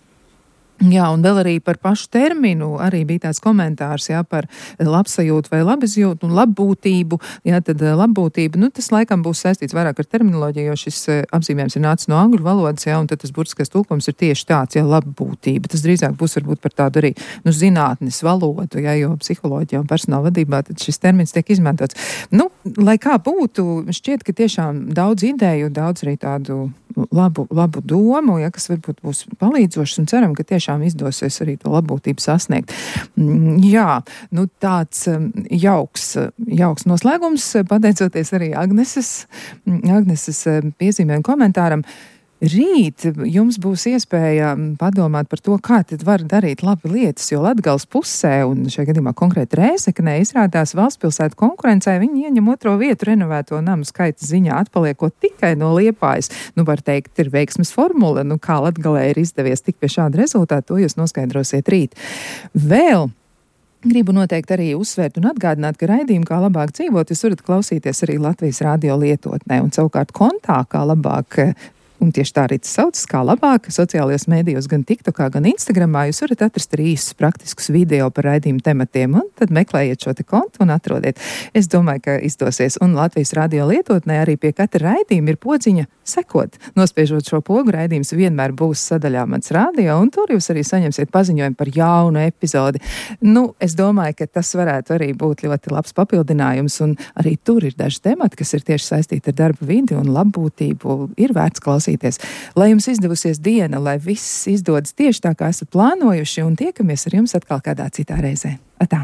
Jā, un vēl arī par pašu terminu arī bija tāds komentārs, jā, par labsajūtu vai labizjūtu un labbūtību. Jā, tad labbūtība, nu, tas laikam būs saistīts vairāk ar terminoloģiju, jo šis apzīmējums ir nācis no angļu valodas, jā, un tad tas burtiskais tulkojums ir tieši tāds, jā, labbūtība. Tas drīzāk būs varbūt par tādu arī, nu, zinātnes valodu, jā, jo psiholoģijā un personāla vadībā tad šis termins tiek izmantots. Nu, lai kā būtu, šķiet, ka tiešām daudz ideju, daudz arī tādu labu, labu domu, ja, kas varbūt būs palīdzošs, un ceram, ka tiešām izdosies arī to labbūtību sasniegt. Jā, nu tāds jauks, jauks noslēgums, pateicoties arī Agneses, Agneses piezīmēm komentāram. Rīt jums būs iespēja padomāt par to, kā tad var darīt labi lietas, jo Latgales pusē, un šajā gadījumā konkrēti Rēzeknē, izrādās valstspilsētu konkurencē, viņi ieņem otro vietu renovēto namu skaita ziņā, atpaliekot tikai no Liepājas. Nu, var teikt, ir veiksmes formula, nu kā Latgalē ir izdevies tik pie šāda rezultāta, to jūs noskaidrosiet rīt. Vēl gribu noteikti arī uzsvērt un atgādināt, ka raidījumu Kā labāk dzīvot, jūs varat klausīties arī Latvijas radio lietotnē, un savukārt kontā Kā labāk, un tieši tā arī tas saucas, Kā labāk, sociālajos mēdījos, gan TikTokā, gan Instagramā, jūs varat atrast arī īsus praktiskus video par raidījumu tematiem, un tad meklējiet šo te kontu un atrodiet. Es domāju, ka izdosies, un Latvijas radio lietotnē arī pie katra raidījuma ir podziņa sekot. Nospiežot šo pogu, raidījums vienmēr būs sadaļā Mans radio, un tur jūs arī saņemsiet paziņojumu par jaunu epizodi. Nu, es domāju, ka tas varētu arī būt ļoti labs papildinājums, un arī tur ir daži temati, kas ir tieši saistīti ar darba vidi un labbūtību, ir vērts klausīties. Lai jums izdevusies diena, lai viss izdodas tieši tā, kā esat plānojuši, un tiekamies ar jums atkal kādā citā reizē. Atā!